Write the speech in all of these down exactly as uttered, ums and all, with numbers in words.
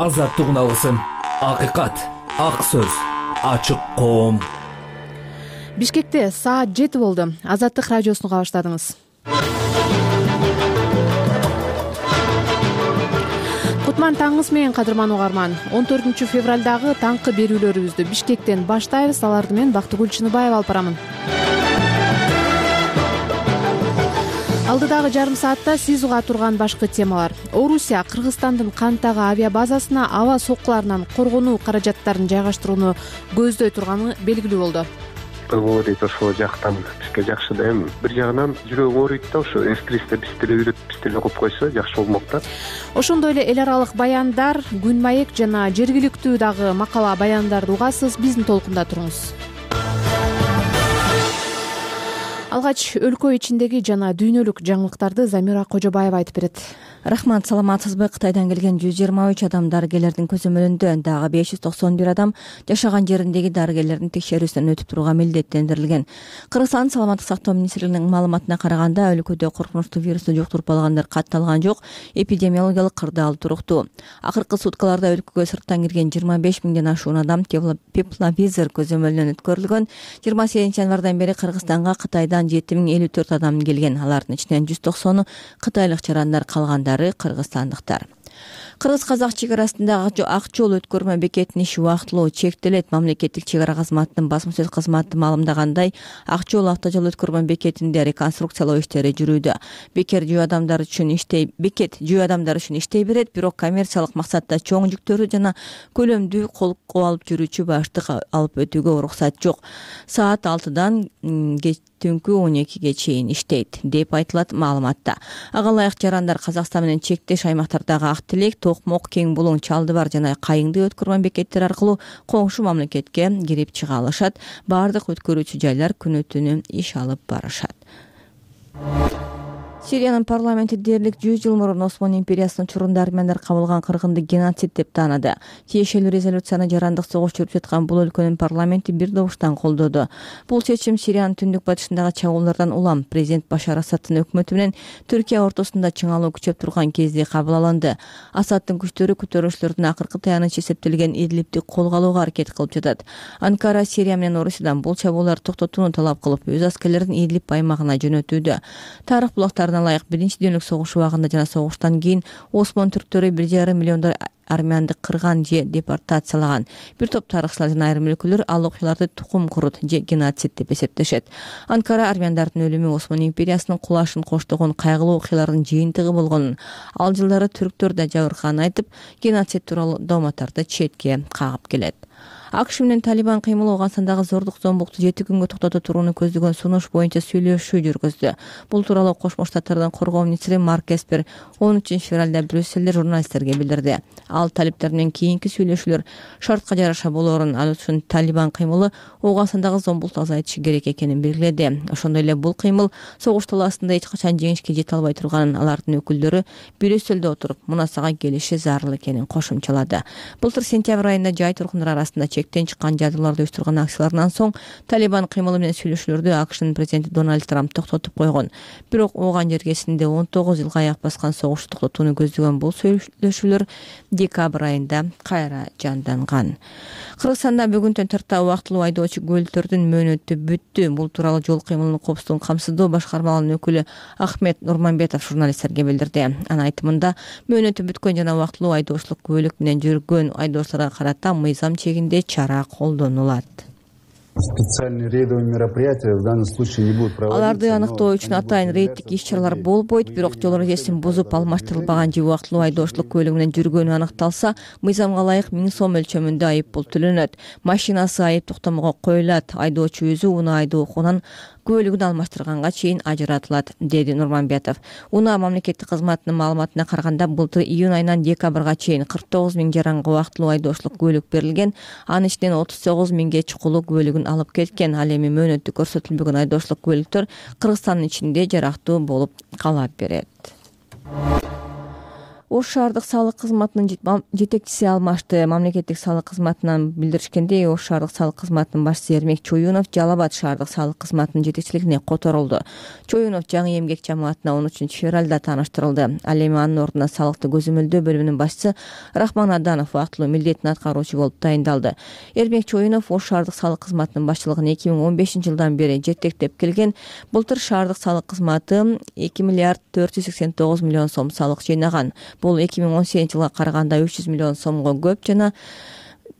азаттык үналысын, акыйкат, ак сөз, ачык коом. Бишкекте саат жети болду. Азаттык радиосуну уга баштадыңыз. Кутман таңыңыз менен, кадырман угарман. он төртүнчү февралдагы таңкы берүүлөрүбүздү Бишкектен баштайбыз. Аларды мен Бактыгүл Чыныбаева алып барамын. Алдыдагы жарым саатта сиз уга турган башкы темалар. Орусия Кыргызстандын Кантагы авиа базасына аба соккуларынан коргонуу каражаттарын жайгаштырууну көздөй турганы белгилүү болду. Говорит, ошол жактан бизге жакшы да, эми бир жагынан жүрөгүм ооруйт да, ошо эскристе биз деле үйрөтүп биз деле окуп койсо жакшы болмок да. Ошондой эле эл аралык баяндар, күн маек жана жергиликтүү дагы макала баяндарды угасыз. Биздин толкунда туруңуз. Алгач өлкө ичиндеги жана дүйнөлүк жаңылыктарды Замира Кожобаева айтып берет. Рахмат, саламатсызбы? Кытайдан келген жүз жыйырма үч адам дарыгерлердин көзөмөлүндө, дагы беш жүз токсон бир адам жашаган жериндеги дарыгерлердин текшерүүсүнөн өтүп турууга милдеттендирилген. Кыргызстан саламаттык сактоо министрлигинин маалыматына караганда, өлкөдө коркунучтуу вирусту жуктуруп алгандар катталган жок, эпидемиологиялык кырдаал туруктуу. Акыркы суткаларда өлкөгө сырттан кирген жыйырма беш миңден ашуун адам тепловизор көзөмөлүнөн өткөрүлгөн. жыйырма сегизинчи январдан бери Кыргызстанга Кытайдан жети миң элүү төрт адам келген. Алардын ичинен жүз токсону кытайлык жарандар, калгандары кыргызстандыктар. Кыргыз-казак чек арасындагы ак жол өткөрмө бекетинин иши убактылуу чектелет. Мамлекеттик чек ара кызматынын басма сөз кызматы маалымдагандай, ак жол автожол өткөрмө бекетинде реконструкциялоо иштери жүрүүдө. Бекер жөө адамдар үчүн иштей, бекет жөө адамдар үчүн иштей берет, бирок коммерциялык максатта чоң жүктөрү жана көлөмдүү колго алып жүрүүчү баштык алып өтүүгө уруксат жок. Саат алтыдан түнкү он экиге чейин иштейт деп айтылат маалыматта. Ага ылайык жарандар Казакстан менен чектеш аймактардагы Ак Тилек, Токмок, Кең Булуң, Чалды бар жана Кайыңды өткөрмө бекеттер аркылуу коңшу мамлекетке кирип чыга алышат. Баардык өткөрүүчү жайлар күнү түнү иш алып барышат. Сириянын парламенти дээрлик жүз жыл мурун Осман империясынын учурунда армяндар кабылган кыргынды геноцид деп таанады. Тиешелүү резолюцияны жарандык согуш жүрүп жаткан бул өлкөнүн парламенти бир добуштан колдоду. Бул чечим Сириянын түндүк батышындагы чабуулдардан улам президент Башар Асадтын өкмөтү менен Түркия ортосунда чыңалуу күчөп турган кезде кабыл алынды. Асадтын күчтөрү көтөрүүчүлөрдүн акыркы таянычы эсептелген Идлибти колго алууга аракет кылып жатат. Анкара Сирия менен Орусиядан бул чабууларды токтотууну талап кылып, өз аскерлерин Идлиб аймагына жөнөтүүдө. Тарых булактарына ылайык биринчи дүйнөлүк согуш убагында жана согуштан кийин Осман түрктөрү бир жарым миллиондор армянды кырган же депортациялаган. Бир топ тарыхчылар жана айрым өлкөлөр ал окуяларды тукум курут же геноцид деп эсептешет. Анкара армяндардын өлүмү Осман империясынын кулашын коштогон кайгылуу окуялардын жыйынтыгы болгонун, ал жылдары түрктөр да жабыркаганын айтып, геноцид тууралуу дооматтарды четке кагып келет. АКШ менен Талибан кыймылы Ооганстандагы зордук зомбукту жети күнгө токтото турууну көздөгөн сунуш боюнча сүйлөшүү жүргүздү. Бул тууралуу Кошмо Штаттардын коргоо министри Марк Эспер он үчүнчү февралда Брюссельде журналисттерге билдирди. Ал талиптер менен кийинки сүйлөшүүлөр шартка жараша болоорун, ал үчүн Талибан кыймылы Ооганстандагы зомбукту азайтышы керек экенин белгиледи. Ошондой эле бул кыймыл согуш талаасында эч качан жеңишке жете албай турганын, алардын өкүлдөрү Брюссельде отуруп мунасага келиши зарыл экенин кошумчалады. Былтыр сентябрь айында жай тургундар арасында чектен чыккан жадыларды уюштурган акциялардан соң Талибан кыймылы менен сүйлөшүүлөрдү АКШнын президенти Дональд Трамп токтотуп койгон. Бирок ооган жергесинде он тогуз жылга аяк баскан согушту токтотууну көздөгөн бул сүйлөшүүлөр декабрь айында кайра жанданган. Кыргызстанда бүгүнтөн тарта убактылуу айдоочу көлүктөрдүн мөөнөтү бүттү. Бул тууралуу жол кыймылынын коопсуздугун камсыздоо башкармалынын өкүлү Ахмет Нурманбетов журналисттерге билдирди. Анын айтымында, мөөнөтү бүткөн жана убактылуу айдоочулук көлүк менен жүргөн айдоочуларга карата мыйзам чегинде чара колдонулат. Специальные рейдовые мероприятия в данном случае не будут проводиться. Аларды аныктоо үчүн атайын рейдтик иш-чаралар болбойт, бирок жол эрежесин бузуп алмаштырылбаган же убактылуу айдоочулук көлүгү менен жүргөнү аныкталса, мыйзамга ылайык миң сом өлчөмүндө айып пул төлөнөт. Машинасы айып токтомого коюлат, айдоочу өзү унаа айдоо укугунан көлүгүн алмаштырганга чейин ажыратылат, деди Нурманбетов. Унаа мамлекеттик кызматынын маалыматына караганда, былтыр июнь айынан декабрга чейин кырк тогуз миң жаранга убактылуу айдоочулук көлүк берилген, анын ичинен отуз тогуз миңге чукулуу көлүгүн алып кеткен. Ал эми мөөнөтү көрсөтүлбөгөн айдоочулук көлүктөр Кыргызстандын ичинде жарактуу болуп кала берет. Ош шаардык салык кызматынын жетекчиси алмашты. Мамлекеттик салык кызматынан билдиришкендей, Ош шаардык салык кызматынын башчысы Эрмек Чоюнов Жалал Абад шаардык салык кызматынын жетекчилигине которулду. Чоюнов жаңы эмгек жамаатына он үчүнчү февралда тааныштырылды. Ал эми анын ордуна салыкты көзөмөлдөө бөлүмүнүн башчысы Рахман Аданов убактылуу милдетин аткаруучу болуп тайындалды. Эрмек Чоюнов Ош шаардык салык кызматынын башчылыгын эки миң он бешинчи жылдан бери жетектеп келген. Былтыр шаардык салык кызматы эки миллиард төрт жүз сексен тогуз миллион сом салык жыйнаган. Бул эки миң он сегизинчи жылга караганда үч жүз миллион сомго көп жана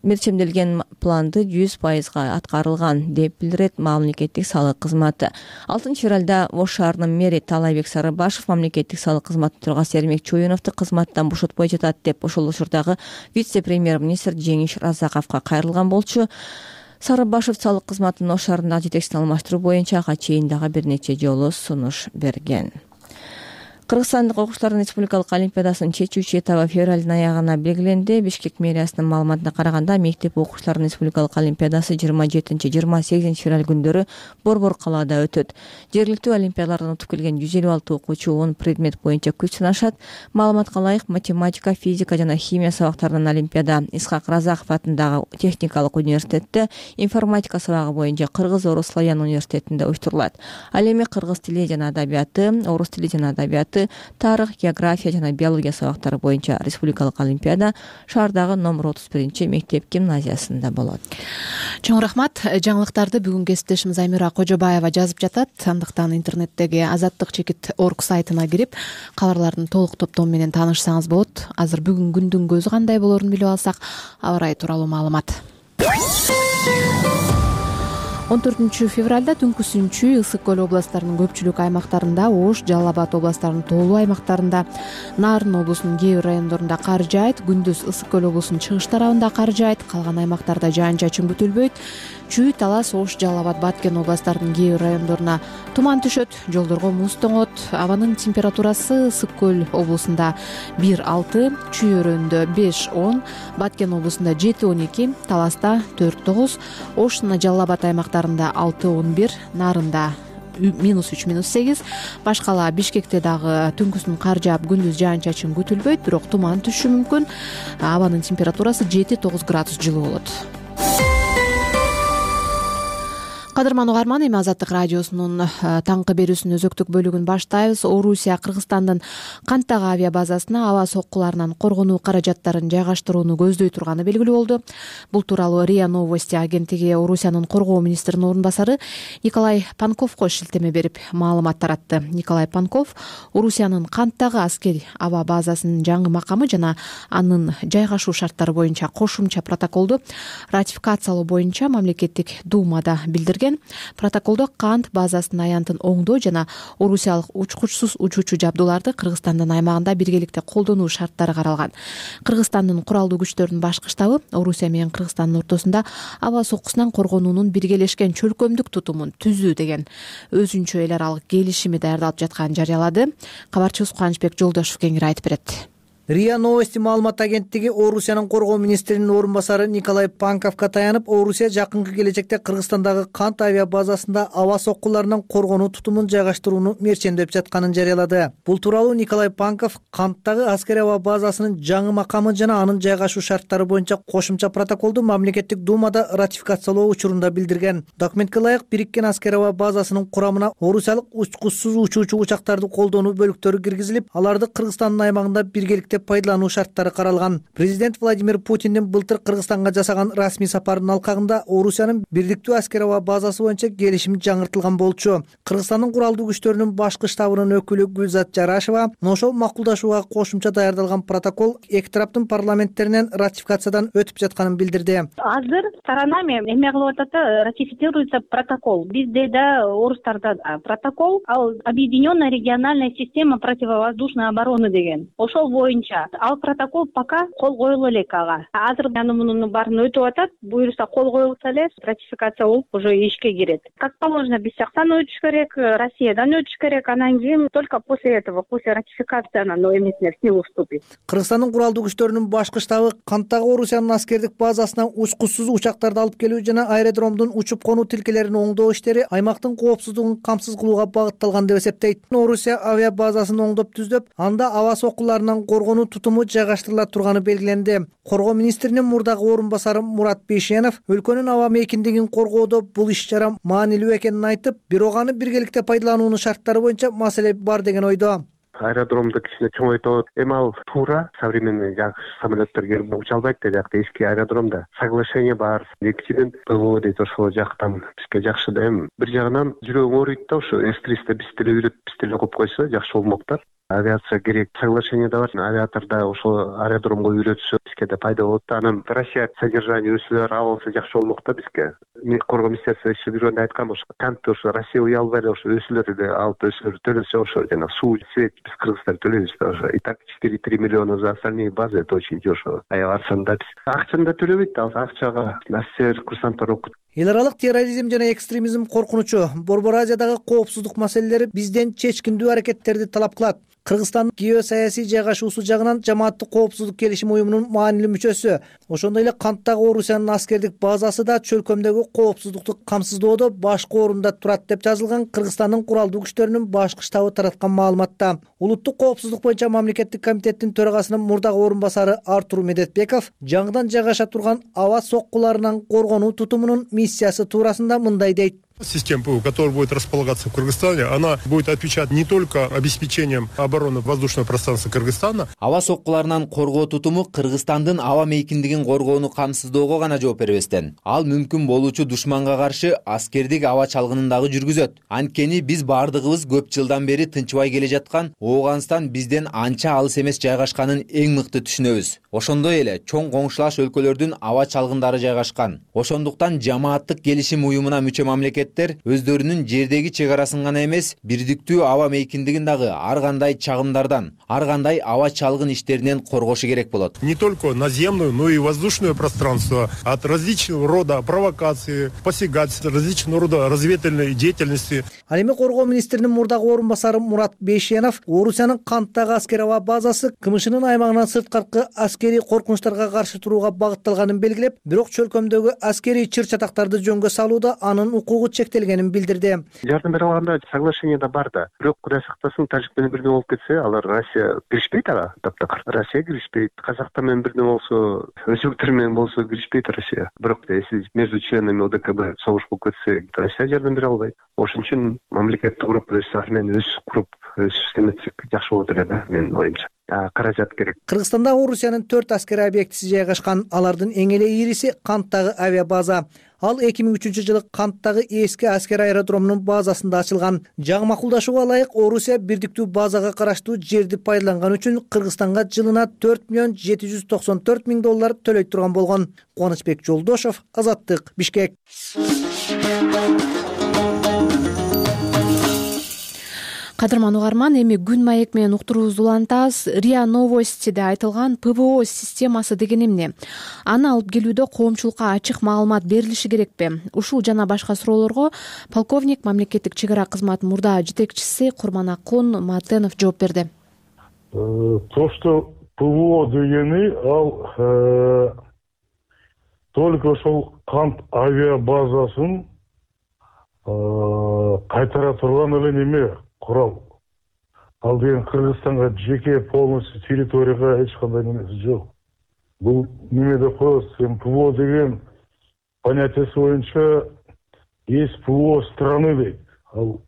мерчемделген планды жүз пайызга аткарылган деп билдирет мамлекеттик салык кызматы. алтынчы февралда Ош шаарынын мэри Талайбек Сарыбашев мамлекеттик салык кызматы төрагасы Эрмек Чоюновду кызматтан бошотпой жатат деп ошол учурдагы вице-премьер-министр Жеңиш Разаковго кайрылган болчу. Сарыбашев салык кызматынын Ош шаарындагы жетекчисин алмаштыруу боюнча ага чейин дагы бир нече жолу сунуш берген. Кыргызстандык окуучулардын республикалык олимпиадасынын чечүүчү этабы февралдын аягына белгиленди. Бишкек мэриясынын маалыматына караганда, мектеп окуучуларынын республикалык олимпиадасы жыйырма жетинчи жыйырма сегизинчи февраль күндөрү Борбор калаада өтөт. Жергиликтүү олимпиадалардан утуп келген жүз элүү алты окуучу он предмет боюнча күч сынашат. Маалыматка ылайык, математика, физика жана химия сабактарынан олимпиада Исхак Разаков атындагы техникалык университетте, информатика сабагы боюнча Кыргыз Орус Славян университетинде уюштурулат. Ал эми кыргыз тили жана адабияты, орус тили жана адабияты, тарых, география жана биология сабактары боюнча республикалык олимпиада шаардагы номер отуз биринчи мектеп гимназиясында болот. Чоң рахмат. Жаңылыктарды бүгүн кесиптешим Замира Кожобаева жазып жатат. Андыктан интернеттеги азаттык чекит точка орг сайтына кирип, кабарлардын толук топтому менен таанышсаңыз болот. Азыр бүгүн күндүн көзү кандай болорун билип алсак, аба ырайы тууралуу маалымат. он төртүнчү февралда түнкү Сүнчү, Ысык көл областарынын көпчүлүк аймактарында, Ош, Жалал Абад областарынын тоолуу аймактарында, Нарын облусунун кээ бир райондорунда кар жаайт. Күндүз Ысык көл облусунун чыгыш тарабында кар жаайт. Калган аймактарда жаан-чачын күтүлбөйт. Чүй, Талас, Ош, Жалал Абад, Баткен областарынын кээ бир райондоруна туман түшөт, жолдорго муз тоңот. Абанын температурасы Ысык көл облусунда бир алты, Чүй өрөөнүндө беш он, Баткен облусунда жети он эки, Таласта төрт тогуз, Ош жана Жалал Абад аймактарында алты он бир, Нарында минус үч минус сегиз. Башкала Бишкекте дагы түнкүсүн кар жаап, күндүз жаан-чачын күтүлбөйт, бирок туман түшүшү мүмкүн. Абанын температурасы жети тогуз градус жылуу болот. Кадырман угарман, эми Азаттык радиосунун таңкы берүүсүнүн өзөктүк бөлүгүн баштайбыз. Орусия Кыргызстандын Канттагы авиа базасына аба соккуларынан коргонуу каражаттарын жайгаштырууну көздөй турганы белгилүү болду. Бул тууралуу РИА Новости агенттиги Орусиянын коргоо министринин орун басары Николай Панковго шилтеме берип маалымат таратты. Николай Панков Орусиянын Канттагы аскери аба базасынын жаңы макамы жана анын жайгашуу шарттары боюнча кошумча протоколду ратификациялоо боюнча мамлекеттик думада билдирген. Протоколдо Кант базасынын аянтын оңдоо жана орусиялык учкучсуз учуучу жабдууларды Кыргызстандын аймагында биргеликте колдонуу шарттары каралган. Кыргызстандын куралдуу күчтөрүнүн башкы штабы Орусия менен Кыргызстандын ортосунда аба соккусунан коргонуунун биргелешкен чөлкөмдүк тутумун түзүү деген өзүнчө эл аралык келишими даярдалып жатканын жарыялады. Кабарчыбыз Кубанычбек Жолдошов кеңири айтып берет. РИА Новости маалымат агенттиги Орусиянын коргоо министринин орун басары Николай Панковго таянып, Орусия жакынкы келечекте Кыргызстандагы Кант авиа базасында аба соккуларынан коргонуу тутумун жайгаштырууну мерчемдеп жатканын жарыялады. Бул тууралуу Николай Панков Канттагы аскери аба базасынын жаңы макамы жана анын жайгашуу шарттары боюнча кошумча протоколду мамлекеттик думада ратификациялоо учурунда билдирген. Документке ылайык, бириккен аскери аба базасынын курамына орусиялык учкучсуз учуучу учактарды колдонуу бөлүктөрү киргизилип, аларды Кыргызстандын аймагында биргеликте пайдалануу шарттары каралган. Президент Владимир Путиндин былтыр Кыргызстанга жасаган расмий сапарынын алкагында Орусиянын бирликтүү аскери аба базасы боюнча келишим жаңыртылган болчу. Кыргызстандын куралдуу күчтөрүнүн башкы штабынын өкүлү Гүлзат Жарашева ошол макулдашууга кошумча даярдалган протокол эки тараптын парламенттеринен ратификациядан өтүп жатканын билдирди. Азыр сторонами эме кылып атат, ратифицируется протокол. Бизде да, орустарда да протокол, ал объединенная региональная система противовоздушной обороны деген. Ошол боюнча ал протокол пока кол коюлуп элек ага. Азыр аны мунун баарын өтүп атат. Буюрса кол коюлса эле ратификация болуп уже ишке кирет. Как положено, биз жактан өтүш керек, Россиядан өтүш керек. Анан кийин только после этого, после ратификации анан эмесине в силу вступит. Кыргызстандын куралдуу күчтөрүнүн башкы штабы Канттагы Орусиянын аскердик базасына учкучсуз учактарды алып келүү жана аэродромдун учуп конуу тилкелерин оңдоо иштери аймактын коопсуздугун камсыз кылууга багытталган деп эсептейт. Орусия авиа базасын оңдоп түздөп, анда аба соккуларынан коргоо коргонуу тутуму жайгаштырыла турганы белгиленди. Коргоо министринин мурдагы орун басары Мурат Бейшенов өлкөнүн аба мейкиндигин коргоодо бул иш-чара маанилүү экенин айтып, бирок аны биргеликте пайдалануунун шарттары боюнча маселе бар деген ойдо. Аэродромду кичине чоңойтот. Эми ал туура современный жакшы самолеттер келип уча албайт да, жакта эски аэродромда. Соглашение бар. Экинчиден ПВО дейт, ошол жактан бизге жакшы да. Эми бир жагынан жүрөгүң ооруйт да, ошо эс триста биз деле үйрөтүп, биз деле окуп койсо жакшы болмок да. Авиация керек. Соглашение да бар. Авиаторда ошол аэродромго үйрөтсө бизге да пайда болот да. Анан Россия содержание өсүлөр алса жакшы болмок да бизге. Коргоо министерствосу иши жүргөндө айткан ошо кантип ошо Россия уя албай эле ошо өсүлөрдү алып өсүлөр төлөсө ошо жана суу свет биз кыргыздар төлөйбүз да ошо. И так четыре три миллиона за остальные базы, это очень дешево. Аябай арзан да биз. Акчаны да төлөбөйт да, акчага офицер, курсанттар окут. Эл аралык терроризм жана экстремизм коркунучу, Борбор Азиядагы коопсуздук маселелери бизден чечкиндүү аракеттерди талап кылат. Кыргызстандын геосаясий жайгашуусу жагынан жамааттык коопсуздук келишим уюмунун маанилүү мүчөсү. Ошондой эле Канттагы Орусиянын аскердик базасы да чөлкөмдөгү коопсуздукту камсыздоодо башкы орунда турат деп жазылган Кыргызстандын куралдуу күчтөрүнүн башкы штабы тараткан маалыматта. Улуттук коопсуздук боюнча мамлекеттик комитеттин төрагасынын мурдагы орун басары Артур Медетбеков жаңыдан жайгаша турган аба соккуларынан коргонуу тутумунун миссиясы туурасында мындай дейт. Система ПВО, которая будет располагаться в Кыргызстане, она будет отвечать не только обеспечением обороны воздушного пространства Кыргызстана. Аба соккуларынан коргоо тутуму Кыргызстандын аба мейкиндигин коргоону камсыздоого гана жооп бербестен, ал мүмкүн болуучу душманга каршы аскердик аба чалгынын дагы жүргүзөт. Анткени биз баардыгыбыз көп жылдан бери тынчыбай келе жаткан Ооганстан бизден анча алыс эмес жайгашканын эң мыкты түшүнөбүз. Ошондой эле чоң коңшулаш өлкөлөрдүн аба чалгындары жайгашкан. Ошондуктан жамааттык келишим уюмуна мүчө мамлекет өздөрүнүн жердеги чек арасын гана эмес, бирдиктүү аба мейкиндигин дагы ар кандай чагымдардан, ар кандай аба чалгын иштеринен коргошу керек болот. Не только наземное, но и воздушное пространство от различного рода провокации, посягательств, различного рода разведывательной деятельности. Ал эми коргоо министринин мурдагы орун басары Мурат Бейшенов Орусиянын Канттагы аскер аба базасы КМШнын аймагынан сырткаркы аскерий коркунучтарга каршы турууга багытталганын белгилеп, бирок чөлкөмдөгү аскерий чыр-чатактарды жөнгө салууда анын укугу чектелгенин билдирди. Жардам бере алганда соглашение да бар да. Бирок Кудай сактасын, Тажик менен бирдей болуп кетсе, алар Россия киришпейт ага. Таптакыр Россия киришпейт. Казактар менен бирдей болсо, өзбектер менен болсо киришпейт Россия. Бирок если между членами ОДКБ согуш болуп кетсе, Россия жардам бере албайт. Ошон үчүн мамлекеттик куруп, өз армияны өз куруп, өз систематик жакшы болот эле да, менин оюмча. Каражат керек. Кыргызстанда Орусиянын төрт аскер объектиси жайгашкан. Алардын эң эле ийриси Канттагы авиабаза. Ал эки миң үчүнчү жылы Канттагы эски аскер аэродромунун базасында ачылган. Жаңы макулдашууга ылайык Орусия бирдиктүү базага караштуу жерди пайдаланган үчүн Кыргызстанга жылына төрт миллион жети жүз токсон төрт миң доллар төлөй турган болгон. Кубанычбек Жолдошов, Азаттык, Бишкек. Кадырман угарман, эми күн маек менен уктуруубузду улантабыз. РИА Новостиде айтылган ПВО системасы деген эмне? Аны алып келүүдө коомчулукка ачык маалымат берилиши керекпи? Ушул жана башка суроолорго полковник мамлекеттик чек ара кызматынын мурда жетекчиси Курманакун Матенов жооп берди. То, что ПВО дегени ал только ошол Кант авиабазасын кайтара турган эле неме курал. Ал деген Кыргызстанга жеке полностью территорияга эч кандай немеси жок. Бул неме деп коебуз, ПВО деген понятиясы боюнча есть ПВО страны дейт. Ал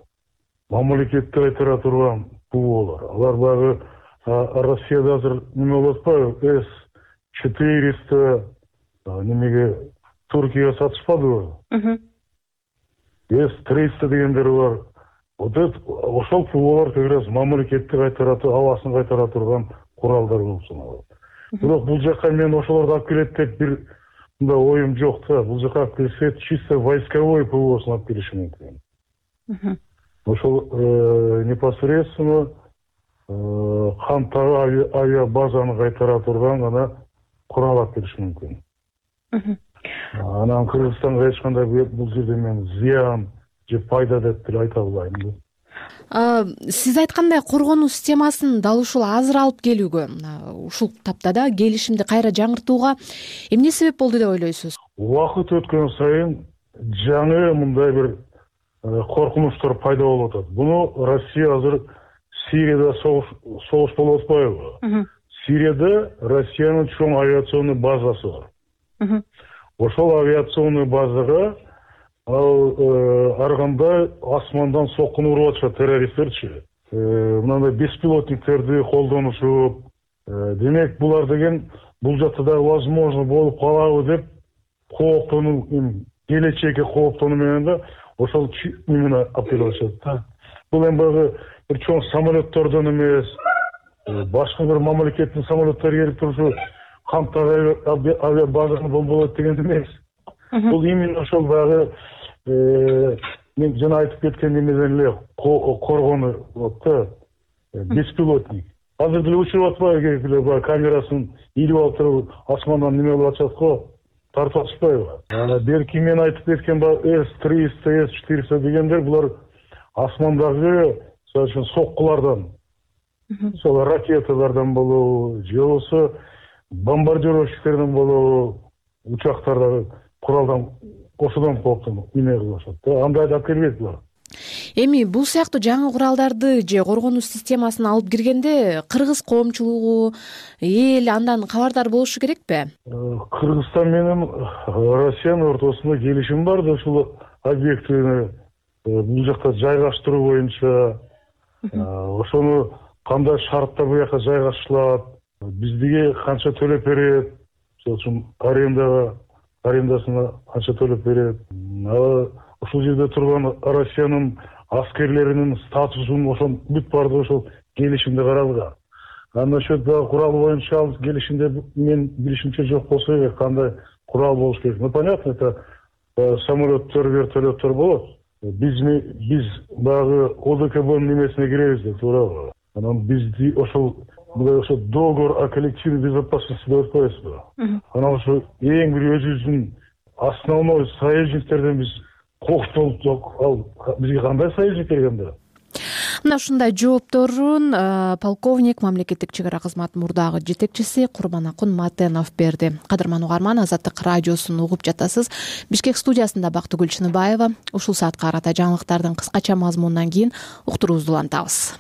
мамлекетти кайтара турган ПВОлор. Алар баягы Россияда азыр неме болуп атпайбы, С четыреста немеге Туркияга сатышпадыбы? С триста дегендер бар. Вот это ошол ПВОлор как раз мамлекетти кайтара, абасын кайтара турган куралдар болуп саналат. Бирок бул жака мен ошолорду алып келет деп бир мындай оюм жок да. Бул жака алып келсе чисто войсковой ПВОсын алып келиши мүмкүн. Ошол непосредственно Канттагы авиабазаны кайтара турган гана курал алып келиши мүмкүн. Анан Кыргызстанга эч кандай бул жерде мен зыян же пайда деп деле айта албайм. Сиз айткандай коргонуу системасын дал ушул азыр алып келүүгө, ушул тапта да келишимди кайра жаңыртууга эмне себеп болду деп ойлойсуз? Убакыт өткөн сайын жаңы мындай бир коркунучтар пайда болуп атат. Буну Россия азыр Сирияда согуш болуп атпайбы? Сирияда Россиянын чоң авиационный базасы бар. Ошол авиационный базага ал ар кандай асмандан соккун уруп атышат террористтерчи. Мындай беспилотниктерди колдонушуп, демек булар деген бул жакта да возможно болуп калабы деп кооптонуу, келечекке кооптонуу менен да ошол именно апеллашат да. Бул эми баягы бир чоң самолеттордон эмес, башка бир мамлекеттин самолеттери келип турушу камтаг авиабазаны бомболойт деген эмес. Бул именно ошол баягы мен жана айтып кеткен эмеден эле коргону болот да, беспилотник. Азыр деле учуруп атпайбы, баягы камерасын илип алып туруп асмандан неме кылып атышат го, тартып атышпайбы? Берки мен айтып кеткен эс триста, эс четыреста дегендер булар асмандагы соккулардан, сол ракеталардан болобу, же болбосо бомбардировщиктерден болобу, учактардагы куралдан ошодон кооптонуп эмне кылып атышат да. Андайды алып келбейт булар. Эми бул сыяктуу жаңы куралдарды же коргонуу системасын алып киргенде кыргыз коомчулугу, эл андан кабардар болушу керекпи? Кыргызстан менен Россиянын ортосунда келишим бар да, ушул объектини бул жакта жайгаштыруу боюнча, ошону кандай шартта бул жака жайгаштырылат, биздиге канча төлөп берет, ошол үчүн арендага арендасына канча төлөп берет, ушул жерде турган Россиянын аскерлеринин статусун ошол бүт баардыгы ошол келишимде каралган. А насчет курал боюнча ал келишимде мен билишимче жок болсо керек, кандай курал болуш керек. Ну понятно, это самолеттер, вертолеттер болот. Биз биз баягы ОДКБнын немесине киребиз да, туурабы? Анан бизди ошол ошол договор о коллективной безопасности деп атпайбызбы? Анан ошо эң бир өзүбүздүн основной союзниктерден биз кооптонуп, ал бизге кандай союзник келгенде? Мына ушундай жоопторун полковник, мамлекеттик чек ара кызматы мурдагы жетекчиси Курманакун Матенов берди. Кадырман угарман, Азаттык радиосун угуп жатасыз. Бишкек студиясында Бактыгүл Чыныбаева. Ушул саатка карата жаңылыктардын кыскача мазмунунан кийин уктуруубузду улантабыз.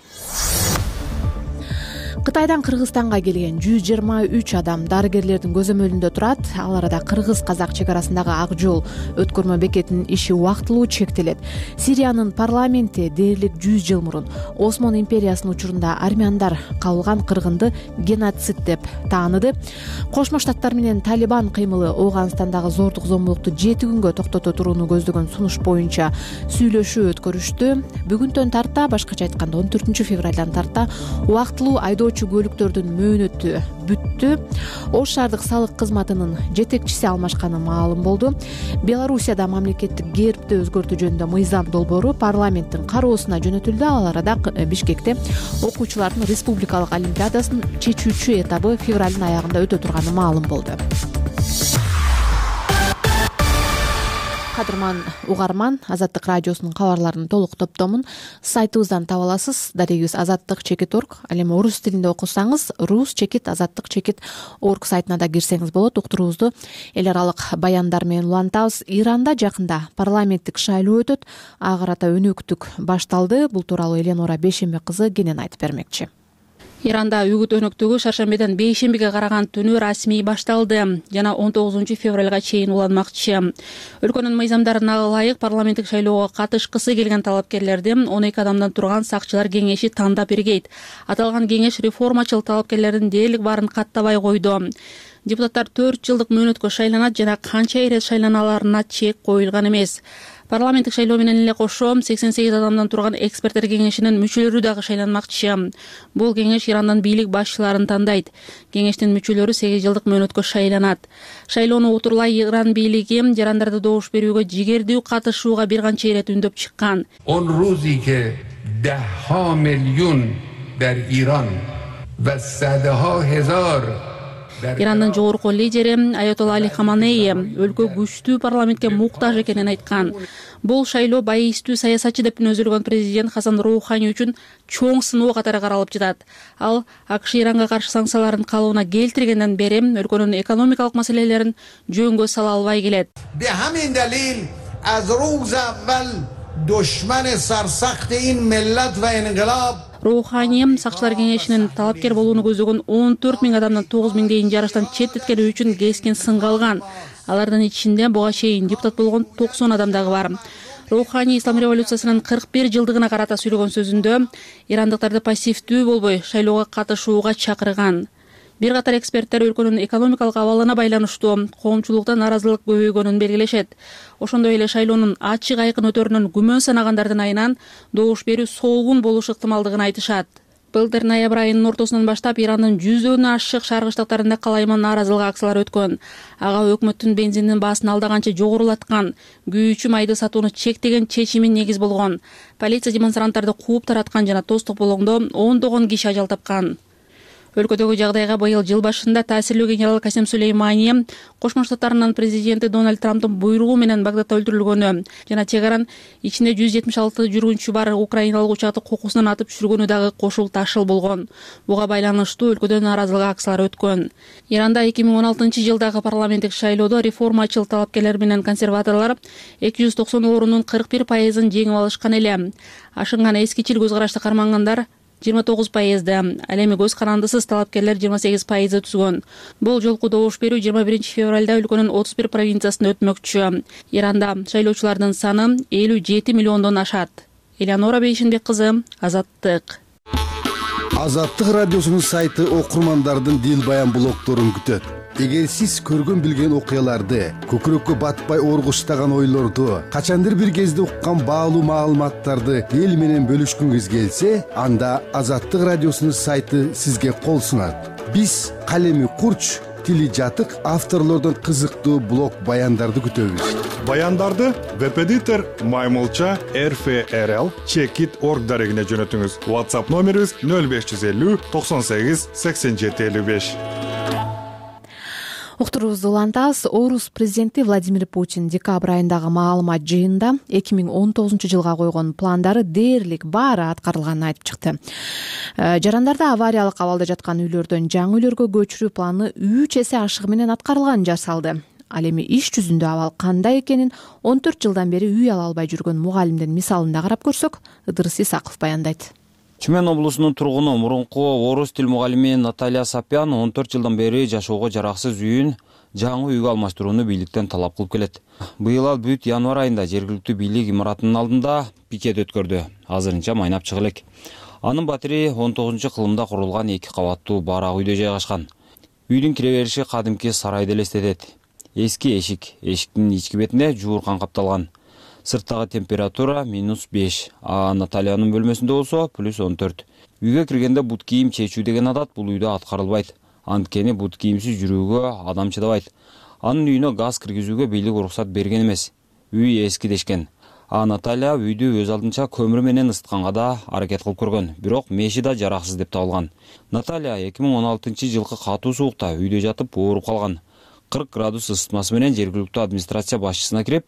Кытайдан Кыргызстанга келген жүз жыйырма үч адам дарыгерлердин көзөмөлүндө турат. Ал арада кыргыз-казак чек арасындагы ак жол өткөрмө бекетинин иши убактылуу чектелет. Сириянын парламенти дээрлик жүз жыл мурун Осмон империясынын учурунда армяндар кабылган кыргынды геноцид деп тааныды. Кошмо Штаттар менен Талибан кыймылы Ооганстандагы зордук зомбулукту жети күнгө токтото турууну көздөгөн сунуш боюнча сүйлөшүү өткөрүштү. Бүгүндөн тарта, башкача айтканда он төртүнчү февралдан тарта убактылуу айдоо көлүктөрдүн мөөнөтү бүттү. Ош шаардык салык кызматынын жетекчиси алмашканы маалым болду. Белоруссияда мамлекеттик гербти өзгөртүү жөнүндө мыйзам долбоору парламенттин кароосуна жөнөтүлдү. Ал арада Бишкекте окуучулардын республикалык олимпиадасынын чечүүчү этабы февралдын аягында өтө турганы маалым болду. Кадырман угарман, Азаттык радиосунун кабарларынын толук топтомун сайтыбыздан таба аласыз. Дарегибиз азаттык чекит орг. Ал эми орус тилинде окусаңыз, рус чекит азаттык чекит орг сайтына да кирсеңиз болот. Уктуруубузду эл аралык баяндар менен улантабыз. Иранда жакында парламенттик шайлоо өтөт. Ага карата өнөктүк башталды. Бул тууралуу Эленора Бейшембе кызы кенен айтып бермекчи. Иранда үгүт өнөктүгү шаршембеден бейшембиге караган түнү расмий башталды жана он тогузунчу февралга чейин уланмакчы. Өлкөнүн мыйзамдарына ылайык парламенттик шайлоого катышкысы келген талапкерлерди он эки адамдан турган сакчылар кеңеши тандап бергейт. Аталган кеңеш реформачыл талапкерлердин дээрлик баарын каттабай койду. Депутаттар төрт жылдык мөөнөткө шайланат жана канча ирет шайланаларына чек коюлган эмес. Парламенттик шайлоо менен эле кошо сексен сегиз адамдан турган эксперттер кеңешинин мүчөлөрү дагы шайланмакчы. Бул кеңеш Ирандан бийлик башчыларын тандайт. Кеңештин мүчөлөрү сегиз жылдык мөөнөткө шайланат. Шайлоону утурлай Иран бийлиги жарандарды добуш берүүгө жигердүү катышууга бир канча ирет үндөп чыккан. Он рузи ке дahha миллион дар Иран ва садха хазар Ирандын жогорку лидери Аятолла Али Хаманей өлкө күчтүү парламентке муктаж экенин айткан. Бул шайлоо байыстуу саясатчы деп өзүлгөн президент Хасан Роухани үчүн чоң сыноо катары каралып жатат. Ал АКШ Иранга каршы санкцияларын калыбына келтиргенден бери өлкөнүн экономикалык маселелерин жөнгө сала албай келет. Бехамин далил аз рӯз аввал душман сарсахти ин миллат ва инқилоб Роухани сакчылар кеңешинин талапкер болууну көздөгөн он төрт миң адамдан тогуз миңдейин жарыштан четтеткени үчүн кескен сынга алган. Алардын ичинде буга чейин депутат болгон токсон адам дагы бар. Роухани ислам революциясынын кырк бир жылдыгына карата сүйлөгөн сөзүндө ирандыктарды пассивдүү болбой шайлоого катышууга чакырган. Бир катар эксперттер өлкөнүн экономикалык абалына байланыштуу коомчулукта нааразылык көбөйгөнүн белгилешет. Ошондой эле шайлоонун ачык айкын өтөрүнөн күмөн санагандардын айынан добуш берүү солгун болушу ыктымалдыгын айтышат. Былтыр ноябрь айынын ортосунан баштап Ирандын жүздөн ашык шааргычтыктарында калайма нааразылык акциялары өткөн. Ага өкмөттүн бензиндин баасын алдаганча жогорулаткан, күйүүчү майды сатууну чектеген чечими негиз болгон. Полиция демонстранттарды кууп тараткан жана тостук болгондо ондогон киши ажал тапкан. Өлкөдөгү жагдайга быйыл жыл башында таасирлүү генерал Касем Сулеймани Кошмо Штаттарынын президенти Дональд Трамптын буйругу менен Багдадда өлтүрүлгөнү жана чек аран ичинде жүз жетимиш алты жүргүнчү бар украиналык учакты кокусунан атып түшүргөнү дагы кошул ташыл болгон. Буга байланыштуу өлкөдө нааразылык акциялары өткөн. Иранда эки миң он алтынчы жылдагы парламенттик шайлоодо реформачыл талапкерлер менен консерваторлор эки жүз токсон орундун кырк бир пайызын жеңип алышкан эле. Ашынган эскичил көз карашты кармангандар жыйырма тогуз пайызды, ал эми көз карандысыз талапкерлер жыйырма сегиз пайызды түзгөн. Бул жолку добуш берүү жыйырма биринчи февралда өлкөнүн отуз бир провинциясында өтмөкчү. Иранда шайлоочулардын саны элүү жети миллиондон ашат. Элеонора Бейшенбек кызы, Азаттык. Азаттык радиосунун сайты окурмандардын дил баян блогторун күтөт. Эгер сиз көргөн билген окуяларды, көкүрөккө батпай оргуштаган ойлорду, качандыр бир кезде уккан баалуу маалыматтарды эл менен бөлүшкүңүз келсе, анда Азаттык радиосунун сайты сизге кол сунат. Биз калеми курч, тили жатык авторлордон кызыктуу блог баяндарды күтөбүз. Баяндарды веб-эдитор Маймылча эр эф эр эл чекит точка орг дарегине жөнөтүңүз. WhatsApp номерибиз нөл беш жүз элүү токсон сегиз сексен жети элүү беш. Уктурубузду улантабыз. Орус президенти Владимир Путин декабрь айындагы маалымат жыйынында эки миң он тогузунчу жылга койгон пландары дээрлик баары аткарылганын айтып чыкты. Жарандарды авариялык абалда жаткан үйлөрдөн жаңы үйлөргө көчүрүү планы үч эсе ашыгы менен аткарылганын жасалды. Ал эми иш жүзүндө абал кандай экенин он төрт жылдан бери үй ала албай жүргөн мугалимдин мисалында карап көрсөк, Ыдырыс Исаков баяндайт. Чүмен облусунун тургуну мурунку орус тил мугалими Наталья Сапян он төрт жылдан бери жашоого жараксыз үйүн жаңы үйгө алмаштырууну бийликтен талап кылып келет. Быйыл ал бүт январь айында жергиликтүү бийлик имаратынын алдында пикет өткөрдү. Азырынча майнап чыгы элек. Анын батири он тогузунчу кылымда курулган эки кабаттуу барак үйдө жайгашкан. Үйдүн кире бериши кадимки сарайды элестетет. Эски эшик, эшиктин ички бетине жууркан капталган. Сырттагы температура минус беш, а Натальянын бөлмөсүндө болсо плюс он төрт. Үйгө киргенде бут кийим чечүү деген адат бул үйдө аткарылбайт. Анткени бут кийимсиз жүрүүгө адам чыдабайт. Анын үйүнө газ киргизүүгө бийлик уруксат берген эмес. Үй эски дешкен. А Наталья үйдү өз алдынча көмүр менен ысытканга да аракет кылып көргөн, бирок меши да жараксыз деп табылган. Наталья эки миң он алтынчы жылкы катуу суукта үйдө жатып ооруп калган. кырк градус ысытмасы менен жергиликтүү администрация башчысына кирип,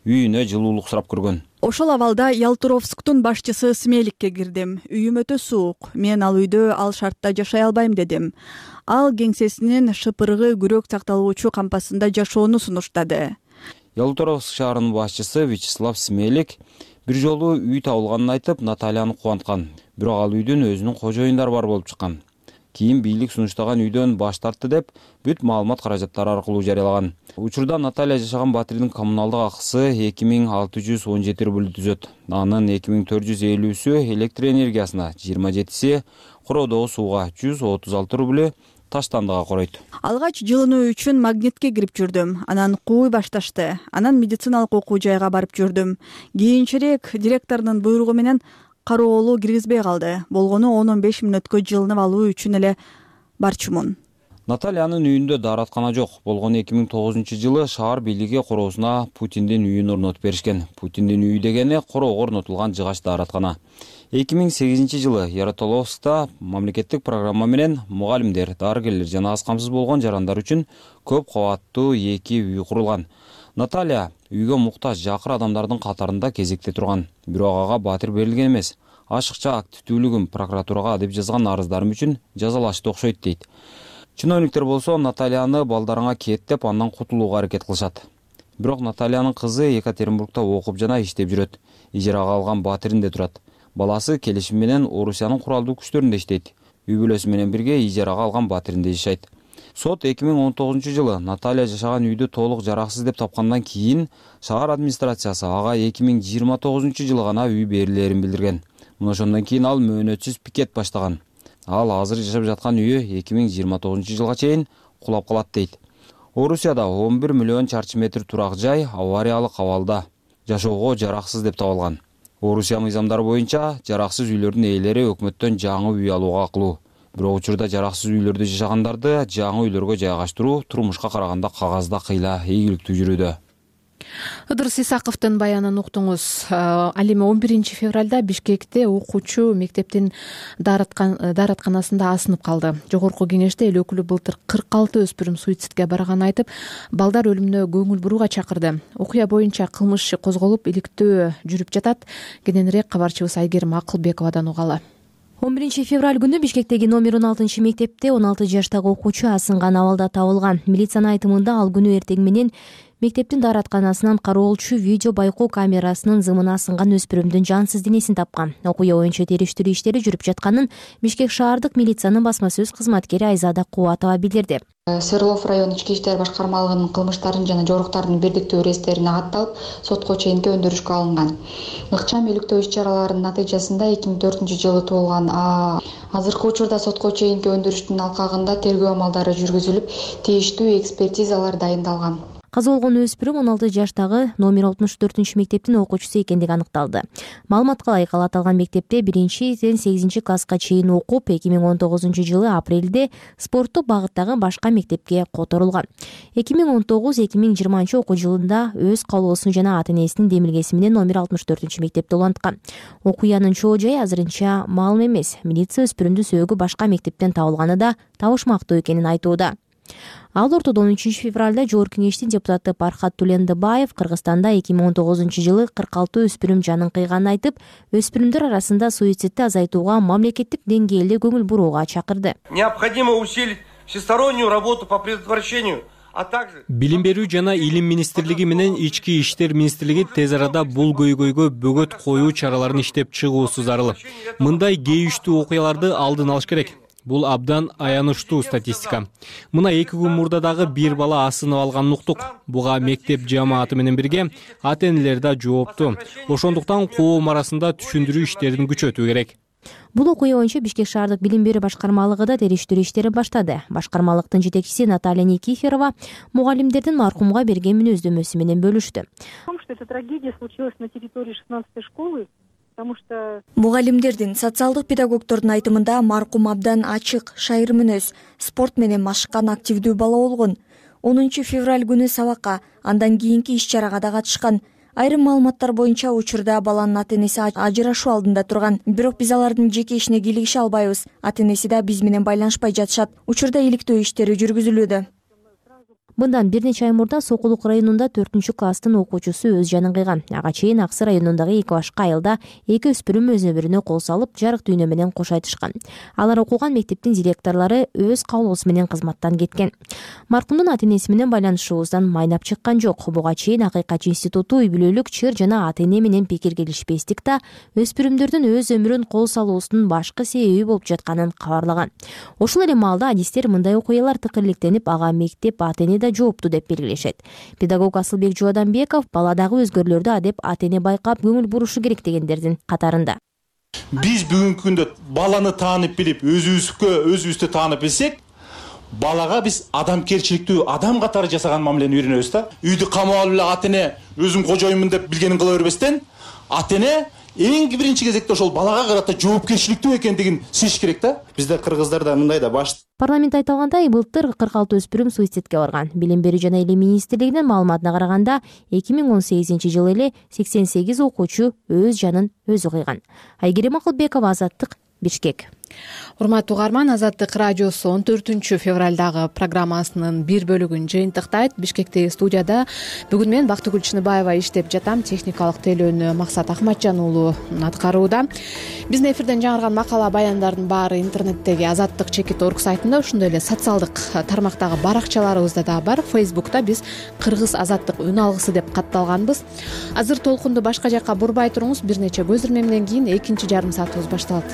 үйүнө жылуулук сурап көргөн. Ошол абалда Ялтуровсктун башчысы Смеликке кирдим. Үйүм өтө суук. Мен ал үйдө ал шартта жашай албайм дедим. Ал кеңсесинин шыпыргы күрөк сакталуучу кампасында жашоону сунуштады. Ялтуровск шаарынын башчысы Вячеслав Смелик бир жолу үй табылганын айтып, Натальяны кубанткан. Бирок ал үйдүн өзүнүн кожоюндары бар болуп чыккан. Кийин бийлик сунуштаган үйдөн баш тартты деп бүт маалымат каражаттары аркылуу жарыялаган. Учурда Наталья жашаган батирдин коммуналдык акысы эки миң алты жүз он жети рубль түзөт. Анын эки миң төрт жүз элүүсү электр энергиясына, жыйырма жетиси короодогу сууга, жүз отуз алты рубль таштандыга коройт. Алгач жылынуу үчүн магнитке кирип жүрдүм. Анан кууй башташты. Анан медициналык окуу жайга барып жүрдүм. Кийинчерээк директордун буйругу менен кароолу киргизбей калды. Болгону он он беш мүнөткө жылынып алуу үчүн эле барчумун. Натальянын үйүндө даараткана жок. Болгону эки миң тогузунчу жылы шаар бийлиги короосуна Путиндин үйүн орнотуп беришкен. Путиндин үйү дегени короого орнотулган жыгач даараткана. эки миң сегизинчи жылы Ярославскта мамлекеттик программа менен мугалимдер, дарыгерлер жана аз камсыз болгон жарандар үчүн көп кабаттуу эки үй курулган. Наталья үйгө муктаж жакыр адамдардын катарында кезекте турган. Бирок ага батир берилген эмес. Ашыкча активдүүлүгүм прокуратурага деп жазган арыздарым үчүн жазалашты окшойт дейт. Чиновниктер болсо Натальяны балдарыңа кет деп андан кутулууга аракет кылышат. Бирок Натальянын кызы Екатеринбургда окуп жана иштеп жүрөт. Ижарага алган батиринде турат. Баласы келишим менен Орусиянын куралдуу күчтөрүндө иштейт. Үй бүлөсү менен бирге ижарага алган батиринде жашайт. Сот эки миң он тогузунчу жылы Наталья жашаган үйдү толук жараксыз деп тапкандан кийин шаар администрациясы ага эки миң жыйырма тогузунчу жылы гана үй берилерин билдирген. Мына ошондон кийин ал мөөнөтсүз пикет баштаган. Ал азыр жашап жаткан үйү эки миң жыйырма тогузунчу жылга чейин кулап калат дейт. Орусияда он бир миллион чарчы метр турак жай авариялык абалда, жашоого жараксыз деп табылган. Орусия мыйзамдары боюнча жараксыз үйлөрдүн ээлери өкмөттөн жаңы үй алууга акылуу. Бирок учурда жараксыз үйлөрдө жашагандарды жаңы үйлөргө жайгаштыруу турмушка караганда кагазда кыйла ийгиликтүү жүрүүдө. Ыдырыс Исаковдун баянын уктуңуз. Ал эми он биринчи февралда Бишкекте окуучу мектептин дааратканасында асынып калды. Жогорку кеңеште эл өкүлү былтыр кырк алты өспүрүм суицидке барганын айтып, балдар өлүмүнө көңүл бурууга чакырды. Окуя боюнча кылмыш иши козголуп, иликтөө жүрүп жатат. Кененирээк кабарчыбыз Айгерим Акылбековадан угалы. он биринчи февраль күнү Бишкектеги номер он алтынчы мектепте он алты жаштагы окуучу асынган абалда табылган. Милициянын айтымында ал күнү эртең менен мектептин дааратканасынан кароолчу видео байкоо камерасынын зымына асынган өспүрүмдүн жансыз денесин тапкан. Окуя боюнча териштирүү иштери жүрүп жатканын Бишкек шаардык милициянын басма сөз кызматкери Айзада Кубатова билдирди. Свердлов район ички иштер башкармалыгынын кылмыштардын жана жоруктардын бирдиктүү реестрине катталып, сотко чейинки өндүрүшкө алынган. Ыкчам иликтөө иш-чараларынын натыйжасында эки миң төртүнчү жылы туулган А азыркы учурда сотко чейинки өндүрүштүн алкагында тергөө амалдары жүргүзүлүп, тийиштүү экспертизалар дайындалган. Каза болгон өспүрүм он алты жаштагы номер алтымыш төртүнчү мектептин окуучусу экендиги аныкталды. Маалыматка ылайык, ал аталган мектепте биринчиден сегизинчи класска чейин окуп, эки миң он тогузунчу жылы апрелде спорттук багыттагы башка мектепке которулган. эки миң он тогуз эки миң жыйырманчы окуу жылында өз каалоосу жана ата энесинин демилгеси менен номер алтымыш төртүнчү мектепте уланткан. Окуянын чоо жайы азырынча маалым эмес. Милиция өспүрүмдүн сөөгү башка мектептен табылганы да табышмактуу экенин айтууда. Ал ортодо он үчүнчү февралда Жогорку кеңештин депутаты Пархат Тулендыбаев Кыргызстанда эки миң он тогузунчу жылы кырк алты өспүрүм жанын кыйганын айтып, өспүрүмдөр арасында суицидти азайтууга мамлекеттик деңгээлде көңүл бурууга чакырды. Необходимо усилить всестороннюю работу по предотвращению. Билим берүү жана илим министрлиги менен ички иштер министрлиги тез арада бул көйгөйгө бөгөт коюу чараларын иштеп чыгуусу зарыл. Мындай кейиштүү окуяларды алдын алыш керек. Бул абдан аянычтуу статистика. Мына эки күн мурда дагы бир бала асынып алганын уктук. Буга мектеп жамааты менен бирге ата энелер да жоопту. Ошондуктан коом арасында түшүндүрүү иштерин күчөтүү керек. Бул окуя боюнча Бишкек шаардык билим берүү башкармалыгы да териштирүү иштери баштады. Башкармалыктын жетекчиси Наталья Никифорова мугалимдердин маркумга берген мүнөздөмөсү менен бөлүштү. Эта трагедия случилась на территории шестнадцатой школы. Мугалимдердин, социалдык педагогдордун айтымында маркум абдан ачык, шайыр мүнөз, спорт менен машыккан активдүү бала болгон. онунчу февраль күнү сабакка, андан кийинки иш-чарага да катышкан. Айрым маалыматтар боюнча учурда баланын ата энеси ажырашуу алдында турган. Бирок биз алардын жеке ишине кийлигише албайбыз. Ата энеси да биз менен байланышпай жатышат. Учурда иликтөө иштери жүргүзүлүүдө. Мындан бир нече ай мурда Сокулук районунда төртүнчү класстын окуучусу өз жанын кыйган. Ага чейин Аксы районундагы эки башка айылда эки өспүрүм өзү бирине кол салып, жарык дүйнө менен кош айтышкан. Алар окуган мектептин директорлору өз каалоосу менен кызматтан кеткен. Маркумдун ата энеси менен байланышуубуздан майнап чыккан жок. Буга чейин Акыйкат институту үй бүлөлүк чыр жана ата эне менен пикир келишпестик да өспүрүмдөрдүн өз өмүрүн кол салуусунун башкы себеби болуп жатканын кабарлаган. Ошол эле маалда адистер мындай окуялар тыкырликтенип, ага мектеп, ата эне да жоопту деп белгилешет. Педагог Асылбек Жууаданбеков баладагы өзгөрүүлөрдү адеп ата эне байкап көңүл бурушу керек дегендердин катарында. Биз бүгүнкү күндө баланы таанып билип, өзүбүзгө өзүбүздү таанып билсек, балага биз адамгерчиликтүү адам катары жасаган мамилени үйрөнөбүз да. Үйдү камап алып эле ата эне өзүм кожоюмун деп билгенин кыла бербестен, ата эне эң биринчи кезекте ошол балага карата жоопкерчиликтүү экендигин сезиш керек да. Бизде кыргыздарда мындай да баш. Парламент айткандай, былтыр кырк алты өспүрүм суицидке барган. Билим берүү жана илим министрлигинин маалыматына караганда, эки миң он сегизинчи жылы эле сексен сегиз окуучу өз жанын өзү кыйган. Айгерим Акылбекова, Азаттык, Бишкек. урматтуу угарман, Азаттык радиосу он төртүнчү февралдагы программасынын бир бөлүгүн жыйынтыктайт. Бишкектеги студияда бүгүн мен Бактыгүл Чыныбаева иштеп жатам. Техникалык тейлөөнү Максат Ахматжан уулу аткарууда. Биздин эфирден жаңырган макала баяндардын баары интернеттеги азаттык чекит точка орг сайтында, ошондой эле социалдык тармактагы баракчаларыбызда да бар. Фейсбукта биз Кыргыз азаттык үн алгысы деп катталганбыз. Азыр толкунду башка жакка бурбай туруңуз. Бир нече көзүрмемден кийин экинчи жарым саатыбыз башталат.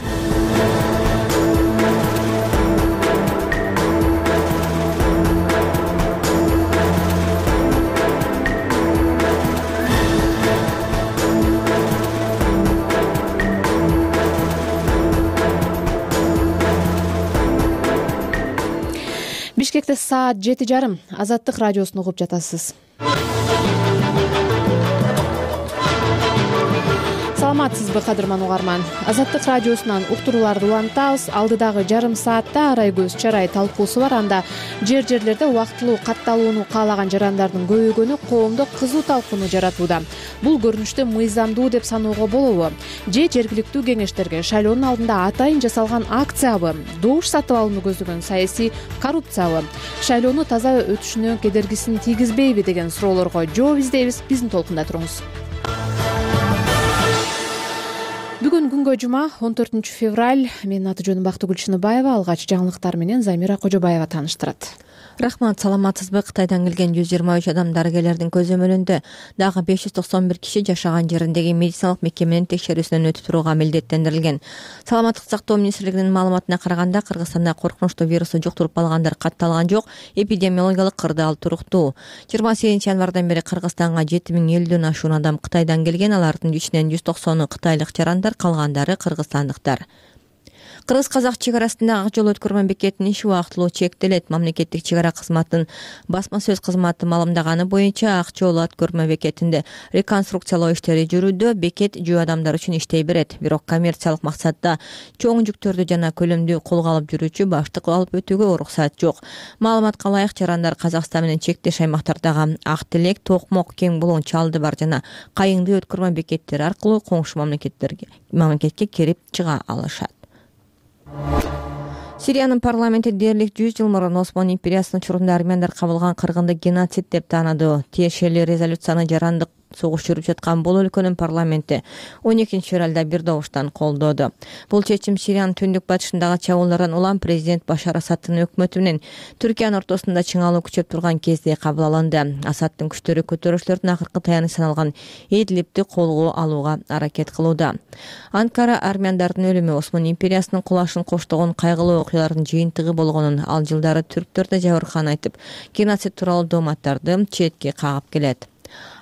Бишкекте саат жети жарым. Азаттык радиосун угуп жатасыз. Саламатсызбы, кадырман угарман? Азаттык радиосунан уктурууларды улантабыз. Алдыдагы жарым саатта арай көз чарай талкуусу бар. Анда жер жерлерде убактылуу катталууну каалаган жарандардын көбөйгөнү коомдо кызуу талкууну жаратууда. Бул көрүнүштү мыйзамдуу деп саноого болобу? Же жергиликтүү кеңештерге шайлоонун алдында атайын жасалган акциябы? Добуш сатып алууну көздөгөн саясий коррупциябы? Шайлоону таза өтүшүнө кедергисин тийгизбейби деген суроолорго жооп издейбиз. Биздин толкунда туруңуз. Бүгүн күнгө жума, он төртүнчү февраль. Менин аты жөнүм Бактыгүл Чыныбаева. Алгач жаңылыктар менен Замира Кожобаева тааныштырат. Рахмат, саламатсызбы? Кытайдан келген жүз жыйырма үч адам дарыгерлердин көзөмөлүндө, дагы беш жүз токсон бир киши жашаган жериндеги медициналык мекеменин текшерүүсүнөн өтүп турууга милдеттендирилген. Саламаттык сактоо министрлигинин маалыматына караганда, Кыргызстанда коркунучтуу вирусту жуктуруп алгандар катталган жок, эпидемиологиялык кырдаал туруктуу. жыйырма сегизинчи январдан бери Кыргызстанга жети миң элүүдөн ашуун адам Кытайдан келген, алардын ичинен жүз токсону кытайлык жарандар, калгандары кыргызстандыктар. Кыргыз-казак чек арасында ак жол өткөрмө бекетинин иши убактылуу чектелет. Мамлекеттик чек ара кызматынын басма сөз кызматы маалымдаганы боюнча, ак жол өткөрмө бекетинде реконструкциялоо иштери жүрүүдө. Бекет жөө адамдар үчүн иштей берет. Бирок коммерциялык максатта чоң жүктөрдү жана көлөмдүү колго алып жүрүүчү баштык алып өтүүгө уруксат жок. Маалыматка ылайык, жарандар Казакстан менен чектеш аймактардагы Ак Телек, Токмок, Кең Булуң, Чалды бар жана Кайыңды өткөрмө бекеттери аркылуу коңшу мамлекеттерге мамлекетке кирип чыга алышат. Сириянын парламенти дээрлик жүз жыл мурун Осман империясынын учурунда армяндар кабылган кыргынды геноцид деп тааныды. Тиешелүү резолюцияны жарандык согуш жүрүп жаткан бул өлкөнүн парламенти он экинчи февралда бир добуштан колдоду. Бул чечим Сириянын түндүк батышындагы чабуулдардан улам президент Башар Асадтын өкмөтү менен Түркиянын ортосунда чыңалуу күчөп турган кезде кабыл алынды. Асадтын күчтөрү көтөрүүчүлөрдүн акыркы таяныч саналган Идлибти колго алууга аракет кылууда. Анкара армяндардын өлүмү Осман империясынын кулашын коштогон кайгылуу окуялардын жыйынтыгы болгонун, ал жылдары түрктөр да жабыркаган айтып, геноцид тууралуу дооматтарды четке кагып келет.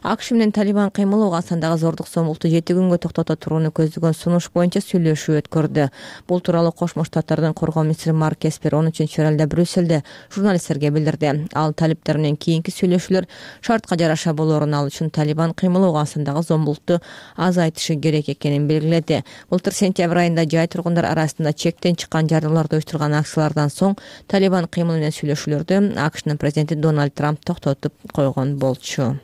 АКШ менен Талибан кыймылы Афганистандагы зордук зомбулукту жети күнгө токтото турууну көздөгөн сунуш боюнча сүйлөшүү өткөрдү. Бул тууралуу Кошмо Штаттардын коргоо министри Марк Эспер он үчүнчү февралда Брюссельде журналисттерге билдирди. Ал талиптер менен кийинки сүйлөшүүлөр шартка жараша болоорун, ал үчүн Талибан кыймылы Афганистандагы зомбулукту азайтышы керек экенин белгиледи. Былтыр сентябрь айында жай тургундар арасында чектен чыккан жардарларды уюштурган акциялардан соң Талибан кыймылы менен сүйлөшүүлөрдү АКШнын президенти Дональд Трамп токтотуп койгон болчу.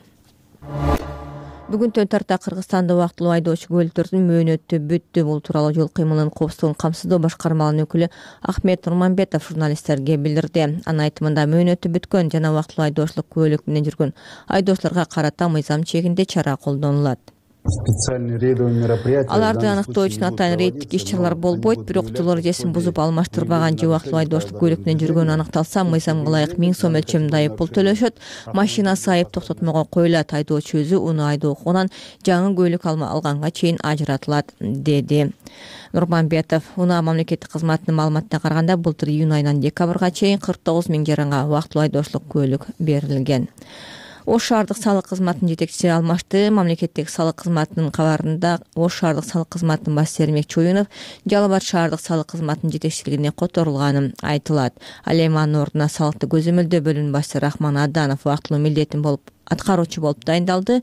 Бүгүн төн тарта Кыргызстанда убактылуу айдоочу көлүктөрдүн мөөнөтү бүттү. Бул тууралуу жол кыймылынын коопсуздугун камсыздоо башкармалыгынын өкүлү Ахмет Нурманбетов журналисттерге билдирди. Анын айтымында мөөнөтү бүткөн жана убактылуу айдоочулук күбөлүк менен жүргөн айдоочуларга карата мыйзам чегинде чара колдонулат. Аларды аныктоо үчүн атайын рейдтик иш-чаралар болбойт, бирок жол эрежесин бузуп алмаштырбаган же убактылуу айдоочулук көлүк менен жүргөнү аныкталса, мыйзамга ылайык миң сом өлчөмүндө айып пул төлөшөт. Машинасы айып токтотмого коюлат. Айдоочу өзү уну айдоо укугунан жаңы көлүк алганга чейин ажыратылат, деди Нурманбетов. Унаа мамлекеттик кызматынын маалыматына караганда, былтыр июнь айынан декабрга чейин кырк тогуз миң жаранга убактылуу айдоочулук көлүк берилген. Ош шаардык салык кызматынын жетекчиси Алмашты мамлекеттик салык кызматынын кабарында Ош шаардык салык кызматынын баш Сермек Чоюнов Жалал Абад шаардык салык кызматынын жетекчилигине которулганы айтылат. Ал эми анын ордуна салыкты көзөмөлдөө бөлүмүнүн башчысы Рахман Аданов убактылуу милдетин болуп аткаруучу болуп дайындалды.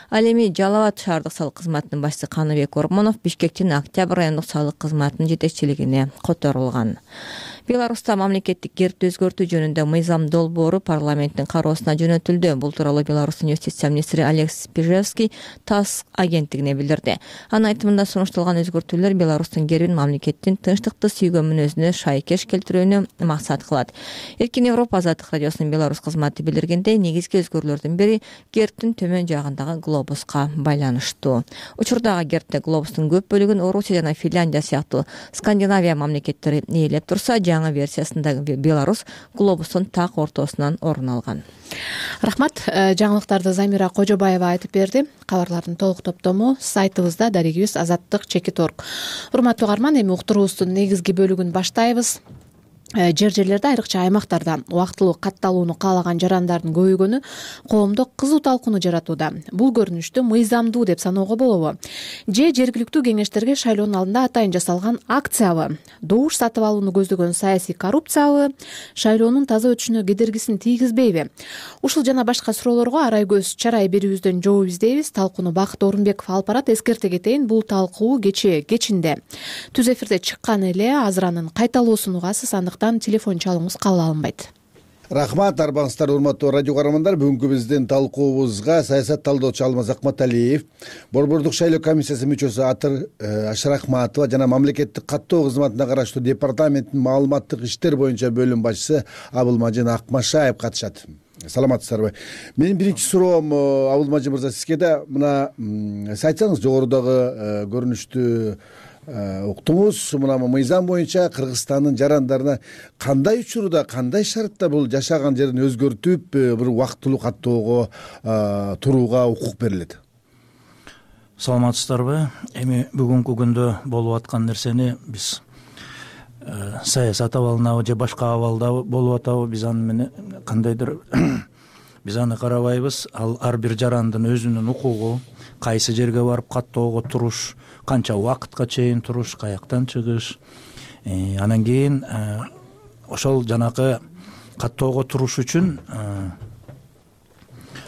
Ал эми Жалал Абад шаардык салык кызматынын башчысы Каныбек Ормонов Бишкектин Октябрь райондук салык кызматынын жетекчилигине которулган. Беларуста мамлекеттик гербти өзгөртүү жөнүндө мыйзам долбоору парламенттин кароосуна жөнөтүлдү. Бул тууралуу Беларустун юстиция министри Олег Спижевский ТАСС агенттигине билдирди. Анын айтымында сунушталган өзгөртүүлөр Беларустун гербин мамлекеттин тынчтыкты сүйгөн мүнөзүнө шайкеш келтирүүнү максат кылат. Эркин Европа азаттык радиосунун Беларусь кызматы билдиргендей, негизги өзгөрүүлөрдүн бири гербтин төмөн жагындагы глобуска байланыштуу. Учурдагы гербте глобустун көп бөлүгүн Орусия жана Финляндия сыяктуу Скандинавия мамлекеттери ээлеп турса, жаңы версиясындагы Беларусь глобустун так ортосунан орун алган. Рахмат. Жаңылыктарды Замира Кожобаева айтып берди. Кабарлардын толук топтому сайтыбызда дарегибиз азаттык чекит орг. Урматтуу угарман, эми уктуруубуздун негизги бөлүгүн баштайбыз. Жер жерлерде, айрыкча аймактарда убактылуу катталууну каалаган жарандардын көбөйгөнү коомдо кызуу талкууну жаратууда. Бул көрүнүштү мыйзамдуу деп саноого болобу? Же жергиликтүү кеңештерге шайлоонун алдында атайын жасалган акциябы? Добуш сатып алууну көздөгөн саясий коррупциябы? Шайлоонун таза өтүшүнө кедергисин тийгизбейби? Ушул жана башка суроолорго арай көз чарай берүүбүздөн жооп издейбиз. Талкууну Бакыт Орунбеков алып барат. Эскерте кетейин, бул талкуу кечээ кечинде түз эфирде чыккан эле, азыр анын кайталоосун угасыз, андыктан телефон чалууңуз кабыл алынбайт. Рахмат, арбаңыздар, урматтуу радио көрөрмандар. Бүгүнкү биздин талкуубузга саясат талдоочу Алмаз Акматалиев, Борбордук шайлоо комиссиясы мүчөсү Атыр Ашрахматова жана мамлекеттик каттоо кызматына караштуу департаменттин маалыматтык иштер боюнча бөлүм башчысы Абылмажын Акмашаев катышат. Саламатсыздарбы? Менин биринчи суроом Абылмажын мырза сизге да, мына сиз айтсаңыз, жогорудагы көрүнүштү уктуңуз. Мына мыйзам боюнча Кыргызстандын жарандарына кандай учурда, кандай шартта бул жашаган жерин өзгөртүп, бир убактылуу каттоого турууга укук берилет? Саламатсыздарбы? Эми бүгүнкү күндө болуп аткан нерсени биз саясат абалынабы же башка абалда болуп атабы, биз аны менен кандайдыр биз аны карабайбыз. Ал ар бир жарандын өзүнүн укугу, кайсы жерге барып каттоого туруш, канча убакытка чейин туруш, каяктан чыгыш, анан кийин ошол жанакы каттоого туруш үчүн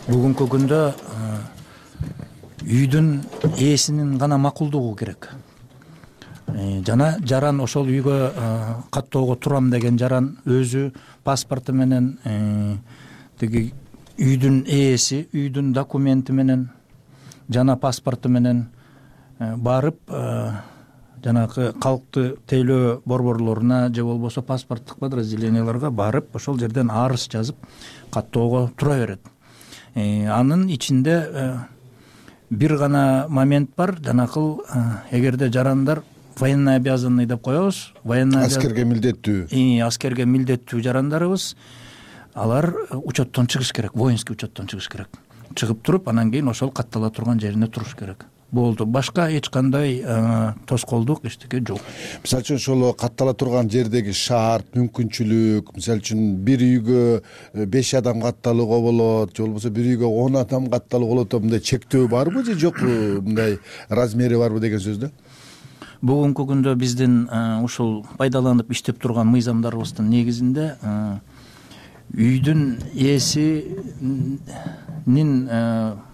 бүгүнкү күндө үйдүн ээсинин гана макулдугу керек. Жана жаран ошол үйгө каттоого турам деген жаран өзү паспорту менен, тиги үйдүн ээси үйдүн документи менен жана паспорту менен барып, жанагы калкты тейлөө борборлоруна же болбосо паспорттук подразделенияларга барып, ошол жерден арыз жазып каттоого тура берет. Анын ичинде бир гана момент бар. Жанакыл, эгерде жарандар военный обязанный деп коебуз, военный аскерге милдеттүү, аскерге милдеттүү жарандарыбыз, алар учеттон чыгыш керек, воинский учеттон чыгыш керек. Чыгып туруп, анан кийин ошол каттала турган жерине туруш керек. Болду. Башка эч кандай тоскоолдук эчтеке жок. Мисалы үчүн ошол каттала турган жердеги шарт, мүмкүнчүлүк, мисалы үчүн бир үйгө беш адам катталууга болот, же болбосо бир үйгө он адам катталууга болот, мындай чектөө барбы же жок, мындай размери барбы деген сөз да? Бүгүнкү күндө биздин ушул пайдаланып иштеп турган мыйзамдарыбыздын негизинде үйдүн ээсинин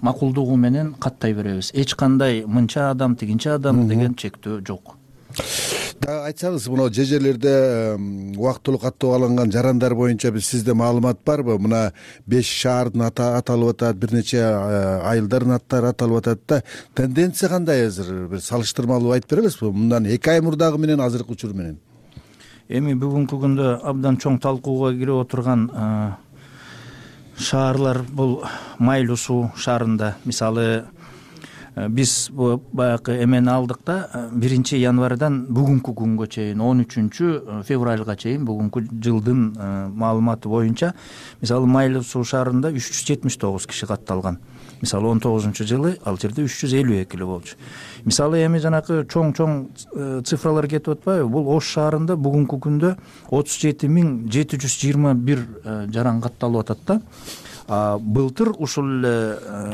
макулдугу менен каттай беребиз. Эч кандай мынча адам, тигинчи адам деген чектөө жок. Да, айтсаңыз, мына же жерлерде убактылуу каттоого алынган жарандар боюнча биз сизде маалымат барбы? Мына беш шаардын аты аталып атат, бир нече айылдардын аттары аталып атат да. Тенденция кандай азыр? Бир салыштырмалуу айтып бере аласызбы? Мындан эки ай мурдагы менен азыркы учур менен. Эми бүгүнкү күндө абдан чоң талкууга кирип отурган шаарлар бул Майлуу суу шаарында. Мисалы, биз баягы эмени алдык да, биринчи январдан бүгүнкү күнгө чейин, он үчүнчү февралга чейин бүгүнкү жылдын маалыматы боюнча, мисалы Майлуу суу шаарында үч жүз жетимиш тогуз киши катталган. Мисалы он тогузунчу жылы ал жерде үч жүз элүү эки эле болчу. Мисалы эми жанакы чоң-чоң цифралар кетип атпайбы? Бул Ош шаарында бүгүнкү күндө отуз жети миң жети жүз жыйырма бир жаран катталып атат да. Былтыр ушул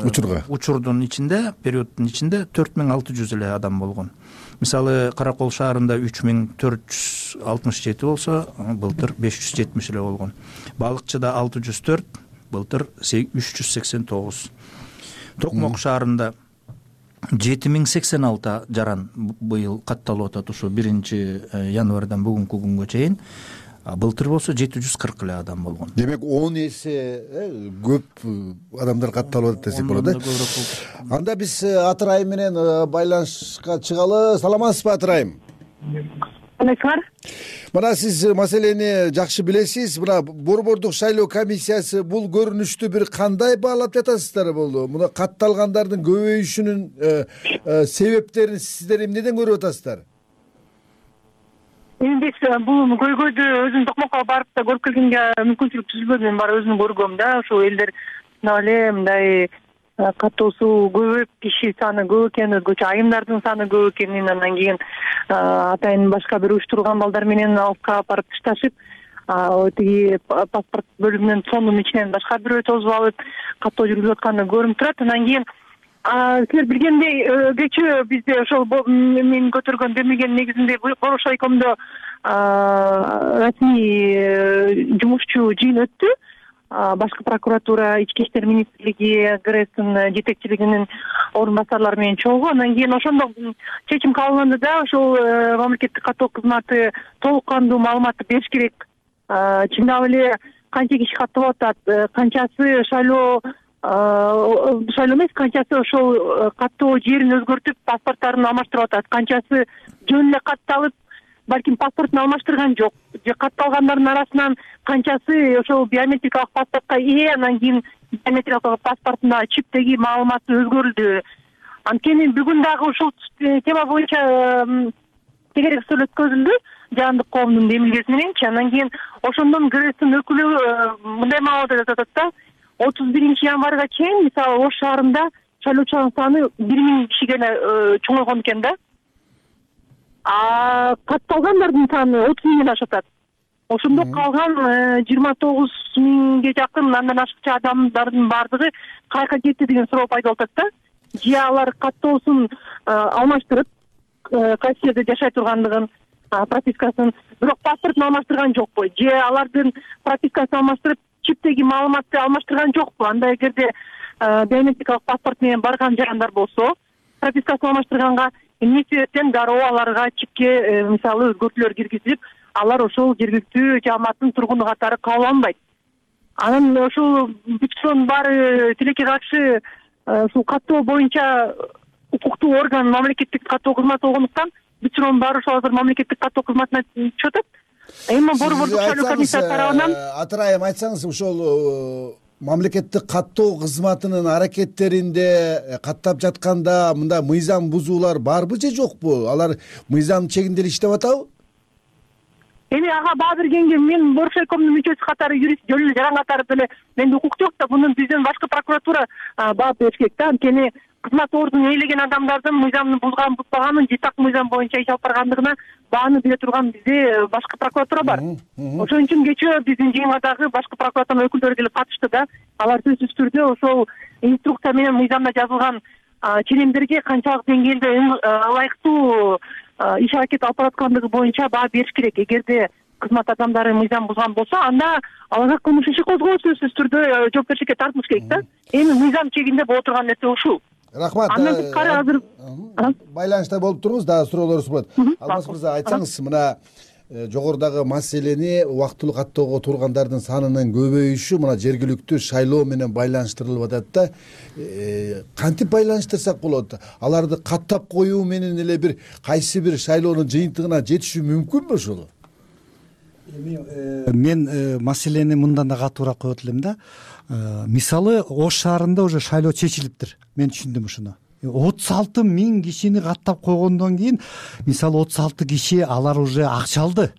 учурга учурдун ичинде, периоддун ичинде төрт миң алты жүз эле адам болгон. Мисалы Каракол шаарында үч миң төрт жүз алтымыш жети болсо, былтыр беш жүз жетимиш эле болгон. Балыкчыда алты жүз төрт, былтыр үч жүз сексен тогуз. Токмок шаарында жети миң сексен алты жаран быйыл катталып атат ушу биринчи январдан бүгүнкү күнгө чейин. былтыр болсо жети жүз кырк эле адам болгон. Демек он эсе көп адамдар катталып атат десек болот э. Анда биз Атырайым менен байланышка чыгалы. Саламатсызбы Атырайым? Саламатсызбы? Мына сиз маселени жакшы билесиз. Мына Борбордук шайлоо комиссиясы бул көрүнүштү бир кандай баалап жатасыздар болду? Мына катталгандардын көбөйүшүнүн себептерин сиздер эмнеден көрүп атасыздар? Эми биз бул көйгөйдү өзүм токмокко барып да көрүп келгенге мүмкүнчүлүк түзүлбөдү. Мен баары өзүм көргөм да. Ошол элдер мына эле мындай каттоосу көбөйүп, киши саны көп экени, өзгөчө айымдардын саны көп экенин, андан кийин атайын башка бир уюштурулган балдар менен алыпка барып ташташып, тиги паспорт бөлүмүнүн фондунун ичинен башка бирөө тосуп алып каттоо жүргүзүп атканы көрүнүп турат. Андан кийин силер билгендей кечээ бизде ошол мен көтөргөн демилгенин негизинде Борошайкомдо расмий жумушчу жыйын өттү. Башкы прокуратура, Ички иштер министрлиги, ГРЭСтин жетекчилигинин орун басарлары менен чогуу. Андан кийин ошондо чечим кабылданды да, ошол мамлекеттик каттоо кызматы толук кандуу маалыматты бериш керек. Чындап эле канча киши каттап атат, канчасы шайлоо шайлоо эмес, канчасы ошол каттоо жерин өзгөртүп паспорттарын алмаштырып атат, канчасы жөн эле катталып балким паспортун алмаштырган жок, же катталгандардын арасынан канчасы ошол биометрикалык паспортко ээ, анан кийин биометрикалык паспортунда чиптеги маалыматы өзгөрүлдү. Анткени бүгүн дагы ушул тема боюнча тегерек сөз өткөзүлдү жаандык коомдун демилгеси мененчи. Андан кийин ошондон ГРЭСтин өкүлү мындай маалымат айтып атат да, отуз биринчи январга чейин мисалы Ош шаарында шайлоочулардын саны бир миң кишиге чоңойгон экен да. А катталгандардын саны отуз миңден ашып атат. Ошондо калган жыйырма тогуз миңге жакын андан ашыкча адамдардын баардыгы кайка кетти деген суроо пайда болуп атат да. Же алар каттоосун алмаштырып, кайсы жерде жашай тургандыгын, пропискасын, бирок паспортун алмаштырган жокпу, же алардын пропискасын алмаштырып, чиптеги маалыматты алмаштырган жокпу. Анда эгерде биометрикалык паспорт менен барган жандар болсо, пропискасын алмаштырганга эмне себептен дароо аларга чипке мисалы өзгөртүүлөр киргизилип, алар ошол жергиликтүү жааматтын тургуну катары кабыл алынбайт. Анан ошол бүтчүлөрдүн баары тилекке каршы ушул каттоо боюнча укуктуу орган мамлекеттик каттоо кызматы болгондуктан бүтчүлөрдүн баары ошол азыр мамлекеттик каттоо кызматына түшүп атат. Эми Борбордук шайлоо комиссиясы тарабынан Атырайым айтсаңыз, ошол мамлекеттик каттоо кызматынын аракеттеринде каттап жатканда мында мыйзам бузуулар барбы же жокпу? Алар мыйзам чегинде эле иштеп атабы? Эми ага баа бергенге мен Борошайкомдун мүчөсү катары, юрист жөн эле жаран катары деле менде укук жок да, мунун бизден башкы прокуратура баа бериш керек да. Анткени кызмат ордун ээлеген адамдардын мыйзамды бузган бузбаганын, же так мыйзам боюнча иш алып баргандыгына бааны бере турган бизде башкы прокуратура бар. Ошон үчүн кечээ биздин жыйынга дагы башкы прокуратуранын өкүлдөрү келип катышты да. Алар сөзсүз түрдө ошол инструкция менен мыйзамда жазылган ченемдерге канчалык деңгээлде ылайыктуу иш аракет алып бараткандыгы боюнча баа бериш керек. Эгерде кызмат адамдары мыйзам бузган болсо, анда аларга кылмыш иши козголуп сөзсүз түрдө жоопкерчиликке тартылыш керек да. Эми мыйзам чегинде боло турган нерсе ушул. Рахмат. Андан тышкары азыр байланышта болуп туруңуз, дагы суроолор болот. Алмаз мырза, айтсаңыз, мына жогорудагы маселени убактылуу каттоого тургандардын санынын көбөйүшү мына жергиликтүү шайлоо менен байланыштырылып атат да. Кантип байланыштырсак болот? Аларды каттап коюу менен эле бир кайсы бир шайлоонун жыйынтыгына жетишүү мүмкүнбү ошол? Эми мен маселени мындан да катуураак коет элем да. Мисалы Ош шаарында уже шайлоо чечилиптир. Мен түшүндүм ушуну. отуз алты миң кишини каттап койгондон кийин мисалы отуз алты киши алар уже акча алды.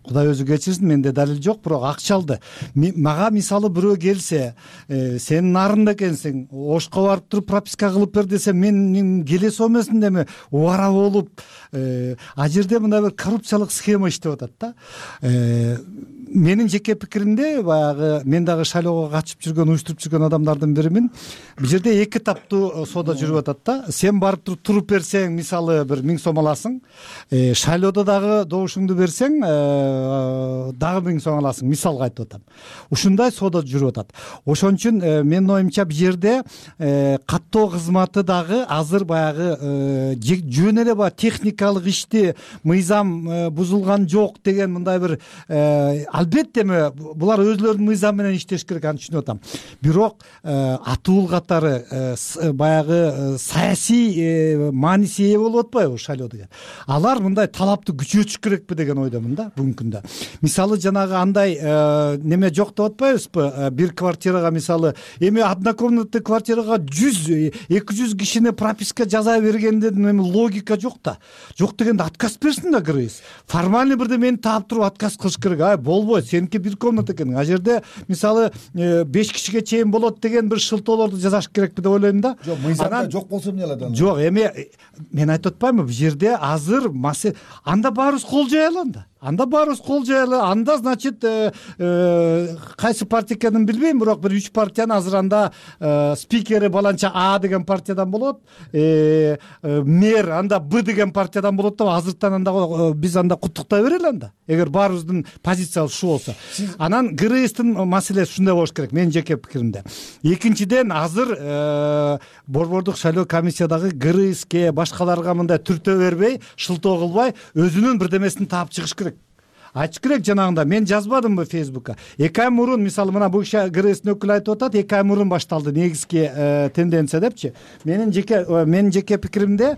Кудай өзү кечирсин, менде далил жок, бирок акча алды. Мага мисалы бирөө келсе, сен нарында экенсиң, Ошко барып туруп прописка кылып бер десе, мен келе сомесин деме убара болуп, а жерде мына бир коррупциялык схема иштеп атат да. менин жеке пикиримде баягы мен дагы шайлоого катышып жүргөн уюштуруп жүргөн адамдардын биримин. Бул жерде эки таптуу соода жүрүп атат да. Сен барып туруп туруп берсең, мисалы бир миң сом аласың. Шайлоодо дагы добушуңду берсең, дагы миң сом аласың. Мисалга айтып атам. Ушундай соода жүрүп атат. Ошон үчүн менин оюмча бул жерде каттоо кызматы дагы азыр баягы жөн эле баягы техникалык ишти мыйзам бузулган жок деген мындай бир албетте эми булар өзлөрүнүн мыйзамы менен иштеш керек, аны түшүнүп атам. Бирок атуул катары баягы саясий мааниси ээ болуп атпайбы шайлоо деген. Алар мындай талапты күчөтүш керекпи деген ойдомун да бүгүнкү күндө. Мисалы жанагы андай неме жок деп атпайбызбы? Бир квартирага мисалы эми однокомнатный квартирага жүз эки жүз кишини прописка жаза бергенден эми логика жок да. Жок дегенде отказ берсин да кыргыз. Формальный бирдемени таап туруп отказ кылыш керек. Ай болбойт, сеники бир комната экен. А жерде мисалы беш кишиге чейин болот деген бир шылтоолорду жазаш керекпи деп ойлойм да. Жок, мыйзамда жок болсо эмне кылат аны? Жок, эми мен айтып атпаймынбы, бул жерде азыр анда баарыбыз кол жаялы анда. Анда баарыбыз кол жаялы. Анда значит кайсы партия экенин билбейм, бирок бир үч партиянын азыр анда спикери баланча А деген партиядан болот, мэр анда Б деген партиядан болот деп азыртан анда биз анда куттуктай берели анда. Эгер баарыбыздын позициябыз ушу болсо. Анан ГРСтин маселеси ушундай болуш керек менин жеке пикиримде. Экинчиден азыр борбордук шайлоо комиссиядагы ГРСке башкаларга мындай түртө бербей, шылтоо кылбай өзүнүн бирдемесин таап чыгыш керек. Айтыш керек жанагында. Мен жазбадымбы Фейсбукка. эки ай мурун мисалы мына бул ГРСтин өкүлү айтып атат, эки ай мурун башталды негизги тенденция депчи. Менин жеке менин жеке пикиримде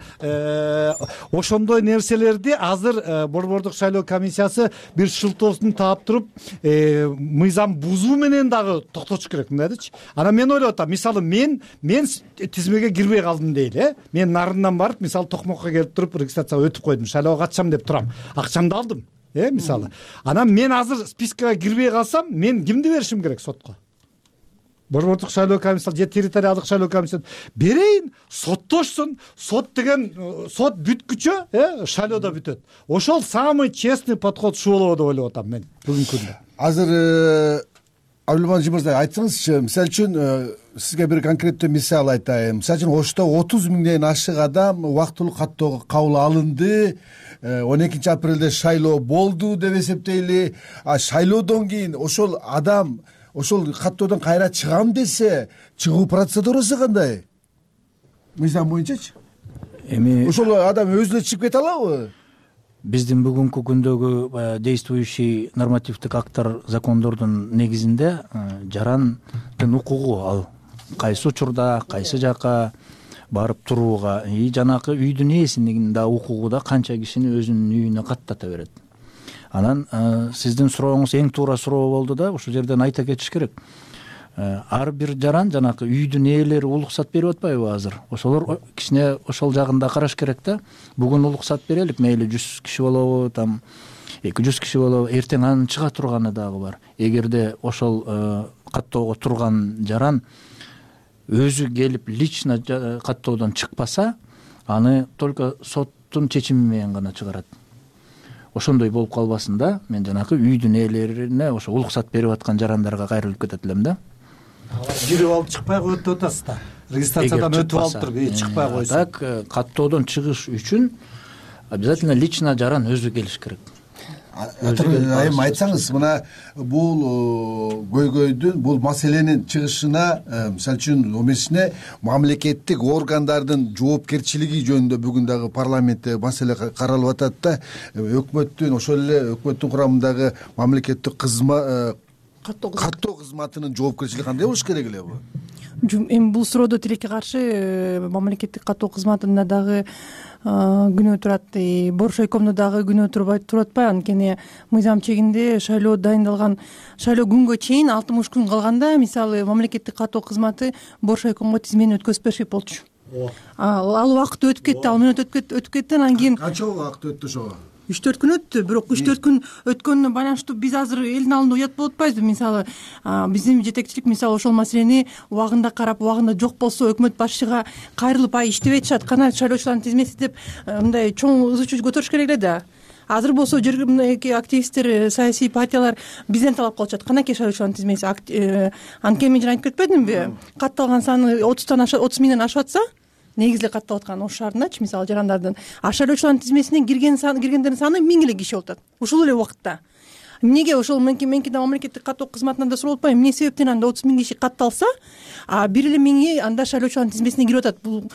ошондой нерселерди азыр борбордук шайлоо комиссиясы бир шылтоосун таап туруп, мыйзам бузуу менен дагы токтотуш керек мындайдычы. Анан мен ойлоп атам, мисалы мен мен тизмеге кирбей калдым дейли, мен нарындан барып, мисалы Токмокко келип туруп регистрацияга өтүп койдум, шайлоого катышам деп турам. Акчамды алдым. Э, мисалы. Анан мен азыр спискага кирбей калсам, мен кимди беришим керек сотко? Борбордук шайлоо комиссиясы же территориалдык шайлоо комиссиясы берейин, соттошсун. Сот деген сот бүткүчө, э, шайлоодо бүтөт. Ошол самый честный подход ушу болобу деп ойлоп атам мен бүгүнкү күндө. Азыр Абдулмажит мырза, айтсаңызчы, мисалы үчүн сизге бир конкреттүү мисал айтайын. Мисалы үчүн Ошто отуз миңден ашык адам убактылуу каттоого кабыл алынды. он экинчи апрелде шайлоо болду деп эсептейли. А шайлоодон кийин ошол адам ошол каттоодон кайра чыгам десе, чыгуу процедурасы кандай? Мыйзам боюнчачы? Эми ошол адам өзү эле чыгып кете алабы? Биздин бүгүнкү күндөгү действующий нормативдик акттар, закондордун негизинде жарандын укугу ал кайсы учурда, кайсы жака барып турууга, и жанакы үйдүн ээсинин да укугу да канча кишини өзүнүн үйүнө каттата берет. Анан сиздин сурооңуз эң туура суроо болду да, ушул жерден айта кетиш керек. Ар бир жаран жанакы үйдүн ээлери уруксат берип атпайбы азыр? Ошолор кичине ошол жагында караш керек да. Бүгүн уруксат берелик, мейли жүз киши болобу, там эки жүз киши болобу, эртең анын чыга турганы дагы бар. Эгерде ошол каттоого турган жаран өзү келип лично каттоодон чыкпаса, аны только соттун чечими менен гана чыгарат. Ошондой болуп калбасын да, мен жанакы үйдүн ээлерине ошо уруксат берип аткан жарандарга кайрылып кетет элем да. Кирип алып чыкпай коет деп атасыз да. Регистрациядан өтүп алып туруп, чыкпай койсун. Так, каттоодон чыгыш үчүн обязательно лично жаран өзү келиш керек. Айым айтсаңыз, мына бул көйгөйдүн, бул маселенин чыгышына, мисалы үчүн эмесине мамлекеттик органдардын жоопкерчилиги жөнүндө бүгүн дагы парламентте маселе каралып атат да. Өкмөттүн, ошол эле өкмөттүн курамындагы мамлекеттик кызмат каттоо кызматынын жоопкерчилиги кандай болуш керек эле бу? Эми бул суроодо тилекке каршы мамлекеттик каттоо кызматында дагы күнөө турат, Боршойкомдо дагы күнөө туруп атпайбы? Анткени мыйзам чегинде шайлоо дайындалган, шайлоо күнгө чейин алтымыш күн калганда, мисалы мамлекеттик каттоо кызматы Боршойкомго тизмени өткөзүп беришет болчу. Ал убакыт өтүп кетти, ал мүнөт өтүп кетти, анан кийин канча убакыт өттү ошого? үч төрт күн өттү, бирок үч төрт күн өткөнүнө байланыштуу биз азыр элдин алдында уят болуп атпайбызбы? Мисалы, биздин жетекчилик мисалы ошол маселени убагында карап, убагында жок болсо өкмөт башчыга кайрылып, ай иштебей атышат, кана шайлоочулардын тизмеси деп мындай чоң ызы чуу көтөрүш керек эле да. азыр болсо жергиликтүү активисттер, саясий партиялар бизден талап кылышат, канакей шайлоочулардын тизмеси. Анткени мен жана айтып кетпедимби, катталган саны отуздан отуз миңден ашып атса, негизи эле катталып аткан Ош шаарындачы, мисалы жарандардын, а шайлоочулардын тизмесине кирген саны, киргендердин саны миң эле киши болуп атат ушул эле убакытта. Эмнеге ошол меники меники да мамлекеттик каттоо кызматынан да сурап атпайбы, эмне себептен анда отуз миң киши катталса, а бир эле миңи анда шайлоочулардын тизмесине кирип атат? Бул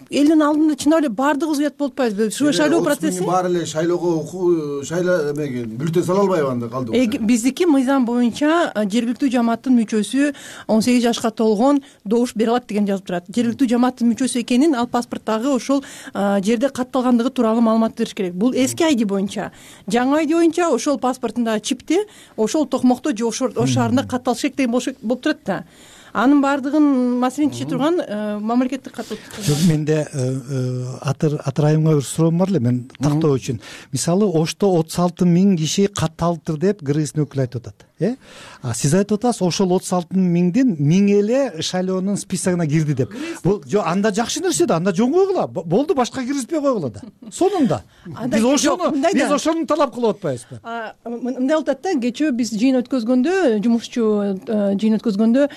элдин алдында чындап эле баардыгыбыз уят болуп атпайбызбы? Ушу шайлоо процесси баары эле шайлоого шайлоо эмеге бюллетень сала албайбы анда калды? Биздики мыйзам боюнча жергиликтүү жамааттын мүчөсү он сегиз жашка толгон добуш бере алат деген жазып турат. Жергиликтүү жамааттын мүчөсү экенин ал паспорттагы ошол жерде катталгандыгы тууралуу маалымат бериш керек. Бул эски айди боюнча. Жаңы айди боюнча ошол паспортундагы чипти ошол токмокто же Ош шаарында катталыш керек деген болуп турат да. Анын баардыгын маселени чече турган мамлекеттик каттоо. Жок, менде атыр атырайымга бир суроом бар эле, мен тактоо үчүн. Мисалы Ошто отуз алты миң киши катталыптыр деп кыргыздын өкүлү айтып атат. Э? А сиз айтып атасыз, ошол отуз алты миңдин миң эле шайлоонун списогуна кирди деп. Бул жок, анда жакшы нерсе да, анда жөн койгула. Болду, башка киргизбей койгула да. Сонунда. Биз ошону, биз ошону талап кылып атпайбызбы? Мындай болуп атат да, кечээ биз жыйын өткөзгөндө, жумушчу жыйын өткөзгөндө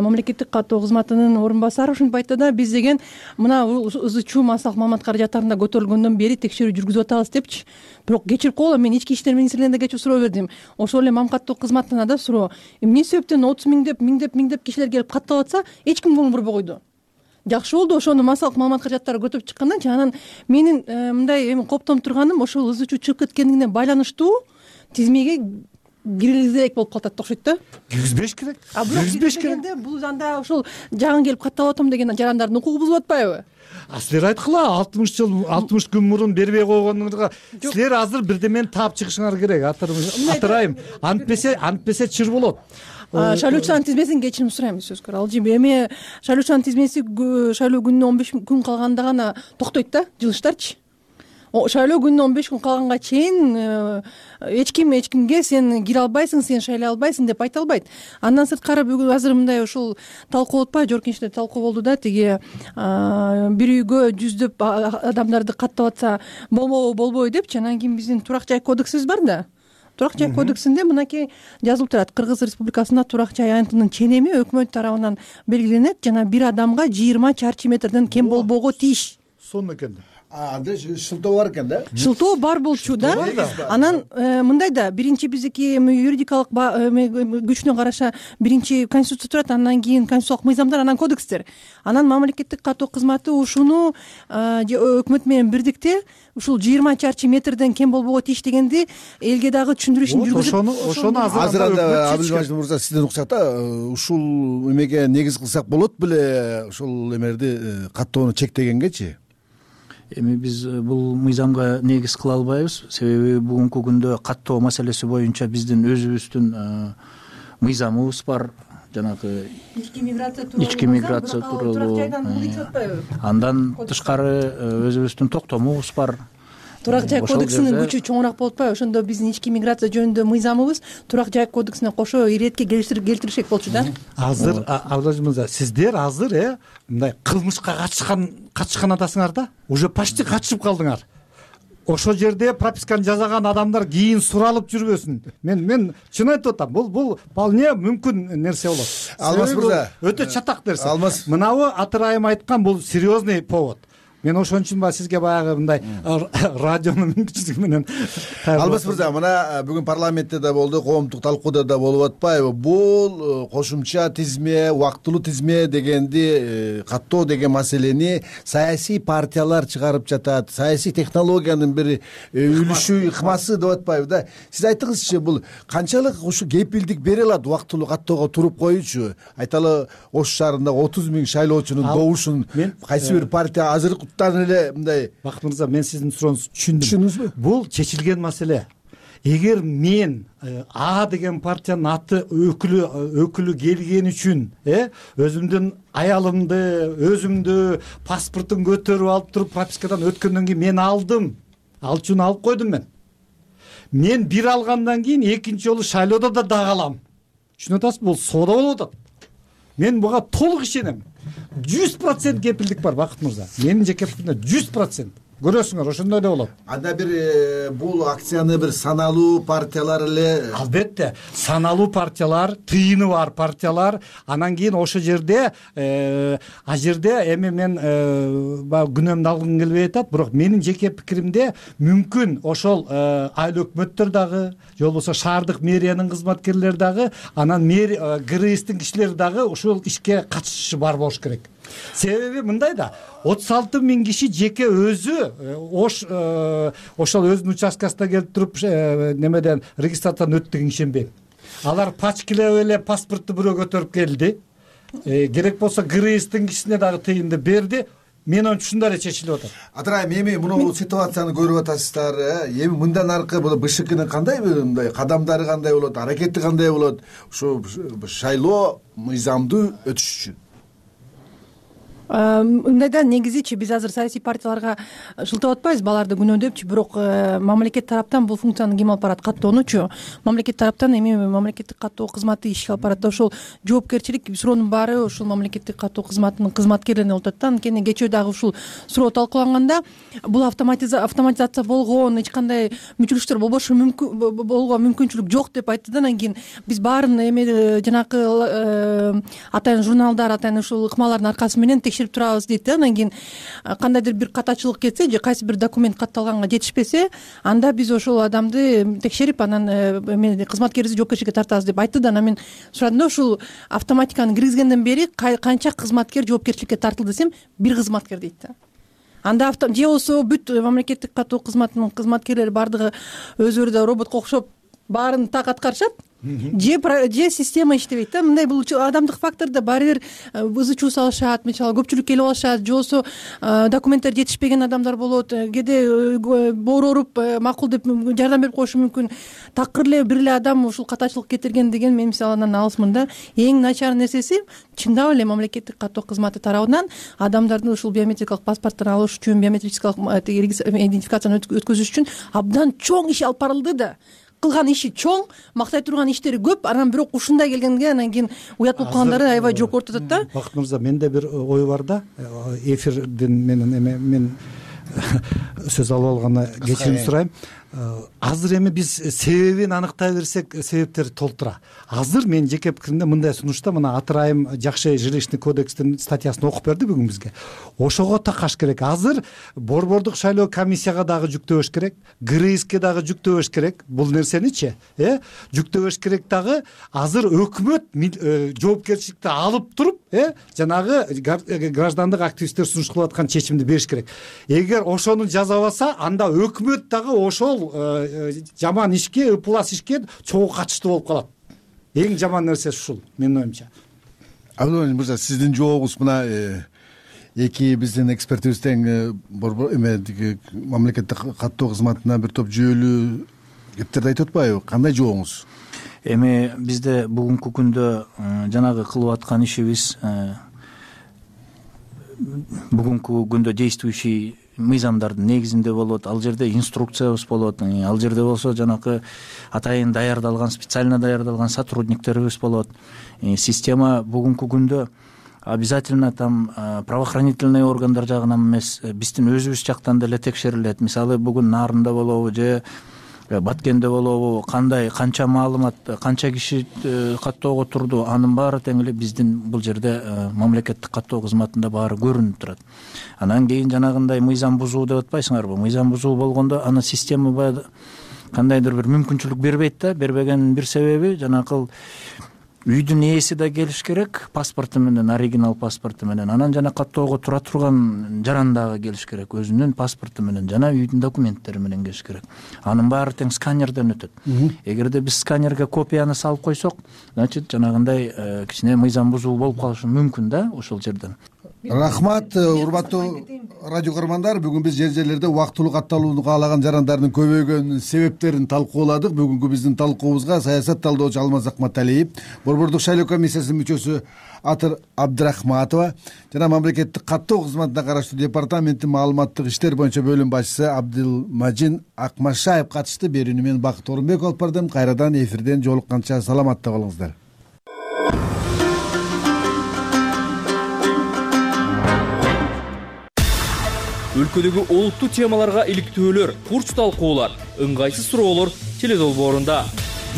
мамлекеттик каттоо кызматынын орун басары ушинтип айтты да, биз деген мына ызы чуу массалык маалымат каражаттарында көтөрүлгөндөн бери текшерүү жүргүзүп атабыз депчи. Бирок кечирип койгула, мен ички иштер министрлигине да кечээ суроо бердим. Ошол эле мамлекеттик каттоо кызматына да суроо. Эмне себептен отуз миң деп, миң деп, миң деп кишилер келип катталып атса, эч ким көңүл бурбой койду. Жакшы болду, ошону массалык маалымат каражаттары көтөрүп чыккандан кийин анан менин мындай эми коптонуп турганым ошол ызы чуу чыгып кеткенине байланыштуу тизмеге киргизбек болуп калат да окшойт да. Киргизбеш керек. Киргизбеш керек. Бул анда ошол жагын келип катталып атам деген жарандардын укугу бузулуп атпайбы? А силер айткыла, алтымыш жыл, алтымыш күн мурун бербей койгонуңузга силер азыр бирдемени таап чыгышыңар керек. Атырайым, антпесе, антпесе чыр болот. Шайлоочулардын тизмесин кечирим сурайм, сөзкөр. Ал жеме эми шайлоочулардын тизмеси шайлоо күнүнө он беш күн калганда гана токтойт да, жылыштарчы. Шайлоо күнүнө он беш күн калганга чейин эч ким эч кимге сен кире албайсың, сен шайлай албайсың деп айта албайт. Андан сырткары бүгүн азыр мындай ушул талкуу болуп атпайбы? Жогорку Кеңеште талкуу болду да, тиги бир үйгө жүздөп адамдарды каттап атса болмобу болбойбу депчи. Анан кийин биздин турак жай кодексибиз бар да. Турак жай кодексинде мынакей жазылып турат: Кыргыз Республикасында турак жай аянтынын ченеми өкмөт тарабынан белгиленет жана бир адамга жыйырма чарчы метрден кем болбоого тийиш. Сонун экен да. Анда шылтоо бар экен да? Шылтоо бар болчу да. Анан мындай да, биринчи биздики юридикалык күчүнө караша биринчи конституция турат, андан кийин конституциялык мыйзамдар, анан кодекстер. Анан мамлекеттик каттоо кызматы ушуну өкмөт менен бирдикте ушул жыйырма чарчы метрден кем болбоого тийиш дегенди элге дагы түшүндүрүү ишин жүргүзүп. Ошону ошону азыр анда Абилмажит мырза сизден уксак да, ушул эмеге негиз кылсак болот беле, ушул эмерди каттоону чектегенгечи? Эми биз бул мыйзамга негиз кыла албайбыз, себеби бүгүнкү күндө каттоо маселеси боюнча биздин өзүбүздүн мыйзамыбыз бар, жанагы ички миграция тууралуу, ички миграция тууралуу. Андан тышкары өзүбүздүн токтомубуз бар. Турак жай кодексинин күчү чоңураак болуп атпайбы? Ошондо биздин ички миграция жөнүндө мыйзамыбыз турак жай кодексине кошо иретке келтиришек болчу да. Азыр Абдулажит мырза, сиздер азыр э мындай кылмышка катышкан катышкан атасыңар да, уже почти катышып калдыңар. Ошол жерде прописканы жасаган адамдар кийин суралып жүрбөсүн. Мен мен чын айтып атам, бул бул вполне мүмкүн нерсе болот. Алмаз мырза, өтө чатак нерсе. Алмаз, мынабы Атырайым айткан бул серьезный повод. Мен ошон үчүн ба сизге баягы мындай радионун мүмкүнчүлүгү менен. Алмаз мырза, мына бүгүн парламентте да болду, коомдук талкууда да болуп атпайбы? Бул кошумча тизме, убактылуу тизме дегенди каттоо деген маселени саясий партиялар чыгарып жатат. Саясий технологиянын бир үлүшү, ыкмасы деп атпайбы да? Сиз айтыңызчы, бул канчалык ушу кепилдик бере алат убактылуу каттоого туруп коюучу? Айталы, Ош шаарындагы отуз миң шайлоочунун добушун кайсы бир партия азыр эле мындай. Бакыт мырза, мен сиздин сурооңузду түшүндүм. Түшүндүңүзбү? Бул чечилген маселе. Эгер мен А деген партиянын аты өкүлү өкүлү келген үчүн э өзүмдүн аялымды, өзүмдү паспортун көтөрүп алып туруп пропискадан өткөндөн кийин мен алдым. Ал үчүн алып койдум мен. Мен бир алгандан кийин экинчи жолу шайлоодо да дагы алам. Түшүнүп атасызбы? Бул соода болуп атат. Мен буга толук ишенем. жүз процент кепилдик бар, Бакыт мырза. Менин жеке пикирим жүз процент. көрөсүңөр ошондой эле болот. Анда бир бул акцияны бир саналуу партиялар эле? Албетте, саналуу партиялар, тыйыны бар партиялар. Анан кийин ошо жерде а жерде эми мен баягы күнөөмдү алгым келбей атат, бирок менин жеке пикиримде мүмкүн ошол айыл өкмөттөр дагы же болбосо шаардык мэриянын кызматкерлери дагы, анан ГРСтин кишилери дагы ушул ишке катышышы бар болуш керек. Себеби мындай да, отуз алты миң киши жеке өзү ош ошол өзүнүн участкасына келип туруп немеден регистрациядан өттү деген ишенбейм. Алар пачкилеп эле паспортту бирөө көтөрүп келди. Керек болсо ГРСтин кишисине дагы тыйынды берди. Мен оюмча ушундай эле чечилип атат. Атырайым, эми муну ситуацияны көрүп атасыздар. Эми мындан аркы бул БШКнын кандай мындай кадамдары кандай болот, аракети кандай болот ушу шайлоо мыйзамдуу өтүш үчүн? Мындайда негизичи биз азыр саясий партияларга шылтап атпайбыз баларды күнөөдөпчү, бирок мамлекет тараптан бул функцияны ким алып барат? Каттоонучу. Мамлекет тараптан эми мамлекеттик каттоо кызматы ишке алып барат. Ошол жоопкерчилик, суроонун баары ушул мамлекеттик каттоо кызматынын кызматкерлерине болот да. Анткени кечээ дагы ушул суроо талкууланганда бул автоматизация болгон, эч кандай мүчүлүштөр болбошу мүмкүн, болгон мүмкүнчүлүк жок деп айтты да. Анан кийин биз баарын эми жанакы атайын журналдар, атайын ушул ыкмалардын аркасы менен текшерип турабыз дейт да. Анан кийин кандайдыр бир катачылык кетсе же кайсы бир документ катталганга жетишпесе, анда биз ошол адамды текшерип, анан эме кызматкерибизди жоопкерчиликке тартабыз деп айтты да. Анан мен сурадым да, ушул автоматиканы киргизгенден бери канча кызматкер жоопкерчиликке тартылды десем, бир кызматкер дейт да. Анда же болсо бүт мамлекеттик каттоо кызматынын кызматкерлери бардыгы өзүлөрү да роботко окшоп баарын так аткарышат, же же система иштебейт да. Мындай бул адамдык фактордо баары бир ызы чуу салышат, мисалы көпчүлүк келип алышат, же болбосо документтер жетишпеген адамдар болот, кээде боор ооруп макул деп жардам берип коюшу мүмкүн. Такыр эле бир эле адам ушул катачылык кетирген деген мен мисалы андан алысмын да. Эң начар нерсеси чындап эле мамлекеттик каттоо кызматы тарабынан адамдардын ушул биометрикалык паспортторун алыш үчүн, биометрическалык идентификацияны өткөзүш үчүн абдан чоң иш алып барылды да. Кылган иши чоң, мактай турган иштери көп, анан бирок ушундай келгенге анан кийин уят болуп калгандары аябай жогору атат да. Бакыт мырза, менде бир ой бар да. Эфирден менен эме мен сөз алып алганда кечирим сурайм. Азыр эми биз себебин аныктай берсек, себептер толтура. Азыр мен жеке пикиримде мындай сунушта, мына Атырайым жакшы жилищный кодекстин статьясын окуп берди бүгүн бизге. Ошого такаш керек. Азыр борбордук шайлоо комиссияга дагы жүктөбөш керек, ГРСке дагы жүктөбөш керек. Бул нерсеничи, э, жүктөбөш керек дагы. Азыр өкмөт жоопкерчиликти алып туруп, э, жанагы граждандык активисттер сунуш кылып аткан чечимди бериш керек. Эгер ошону жазабаса, анда өкмөт дагы ошол жаман ишке, ыплас ишке чогуу катыштуу болуп калат. Эң жаман нерсе ушул, менин оюмча. Абдулмажит мырза, сиздин жообуңуз мына эки биздин экспертибизден борбор эме мамлекеттик каттоо кызматына бир топ жүйөлүү кептерди айтып атпайбы? Кандай жообуңуз? Эми бизде бүгүнкү күндө жанагы кылып аткан ишибиз бүгүнкү күндө действующий мыйзамдардын негизинде болот. Ал жерде инструкциябыз болот. Ал жерде болсо жанакы атайын даярдалган, специально даярдалган сотрудниктерибиз болот. Система бүгүнкү күндө обязательно там правоохранительный органдар жагынан эмес, биздин өзүбүз жактан деле текшерилет. Мисалы бүгүн Нарында болобу же Баткенде болобу, кандай канча маалымат, канча киши каттоого турду, анын баары тең эле биздин бул жерде мамлекеттик каттоо кызматында баары көрүнүп турат. Анан кийин жанагындай мыйзам бузуу деп атпайсыңарбы? Мыйзам бузуу болгондо аны система баягы кандайдыр бир мүмкүнчүлүк бербейт да. Бербегенин бир себеби жанакы үйдүн ээси да келиш керек, паспорту менен, оригинал паспорту менен. Анан жана каттоого тура турган жаран дагы келиш керек, өзүнүн паспорту менен жана үйдүн документтери менен келиш керек. Анын баары тең сканерден өтөт. Эгерде биз сканерге копияны салып койсок, значит жанагындай кичине мыйзам бузуу болуп калышы мүмкүн да ошол жерден. Рахмат, урматтуу радио көрөрмандар. Бүгүн биз жер жерлерде убактылуу катталууну каалаган жарандардын көбөйгөн себептерин талкууладык. Бүгүнкү биздин талкуубузга саясат талдоочу Алмаз Акматалиев, борбордук шайлоо комиссиясынын мүчөсү Атыр Абдрахматова жана мамлекеттик каттоо кызматына караштуу департаменттин маалыматтык иштер боюнча бөлүм башчысы Абдылмажин Акмашаев катышты. Берүүнү мен Бакыт Орунбеков алып бардым. Кайрадан эфирден жолукканча саламатта болуңуздар. өлкөдөгү олуттуу темаларга иликтөөлөр, курч талкуулар, ыңгайсыз суроолор теледолбоорунда.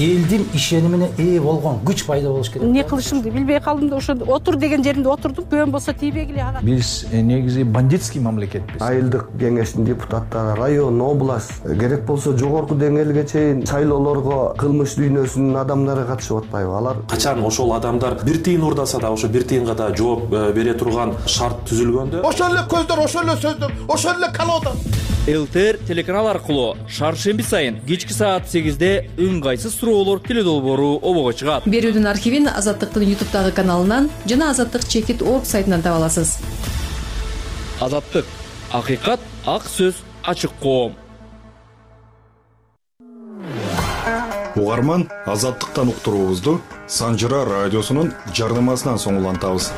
Элдин ишенимине ээ болгон күч пайда болуш керек. Эмне кылышымды билбей калдым да ошо отур деген жеримде отурдум. Көбөн болсо тийбегиле ага. Биз негизи бандитский мамлекетпиз. Айылдык кеңештин депутаттары, район, область, керек болсо жогорку деңгээлге чейин шайлоолорго кылмыш дүйнөсүнүн адамдары катышып атпайбы? Алар качан ошол адамдар бир тыйын урдаса да ошо бир тыйынга да жооп бере турган шарт түзүлгөндө ошол эле көздөр, ошол эле сөздөр, ошол эле колода. ЛТР телеканал аркылуу шаршемби сайын кечки саат сегизде ыңгайсыз суроолор теледолбоору обого чыгат. Берүүдүн архивин Азаттыктын ютубтагы каналынан жана азаттык чекит орг сайтынан таба аласыз. Азаттык, акыйкат, ак сөз, ачык коом. Угарман, Азаттыктан уктуруубузду Санжыра радиосунун жардамасынан соң улантабыз.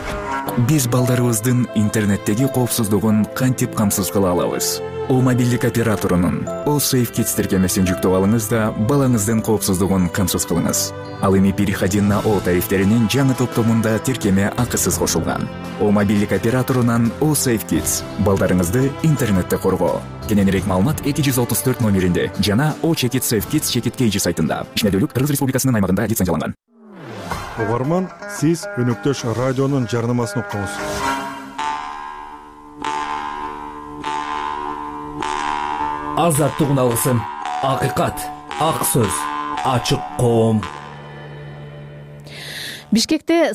Биз балдарыбыздын интернеттеги коопсуздугун кантип камсыз кыла алабыз? О мобилдик операторунун О Safe Kids тиркемесин жүктөп алыңыз да балаңыздын коопсуздугун камсыз кылыңыз. Ал эми переходи на О тарифтеринин жаңы топтомунда тиркеме акысыз кошулган. О мобилдик операторунан О Safe Kids балдарыңызды интернетте коргоо. Кененирээк маалымат эки жүз отуз төрт номеринде жана О Чекит Safe Kids Чекит Кейжи сайтында. Ишмердүүлүк Кыргыз Республикасынын аймагында лицензияланган. Угарман, сиз өнөктөш радионун жарнамасын уктуңуз. Азаттык алгысым, акыйкат, ак сөз, ачык коом. Бишкекте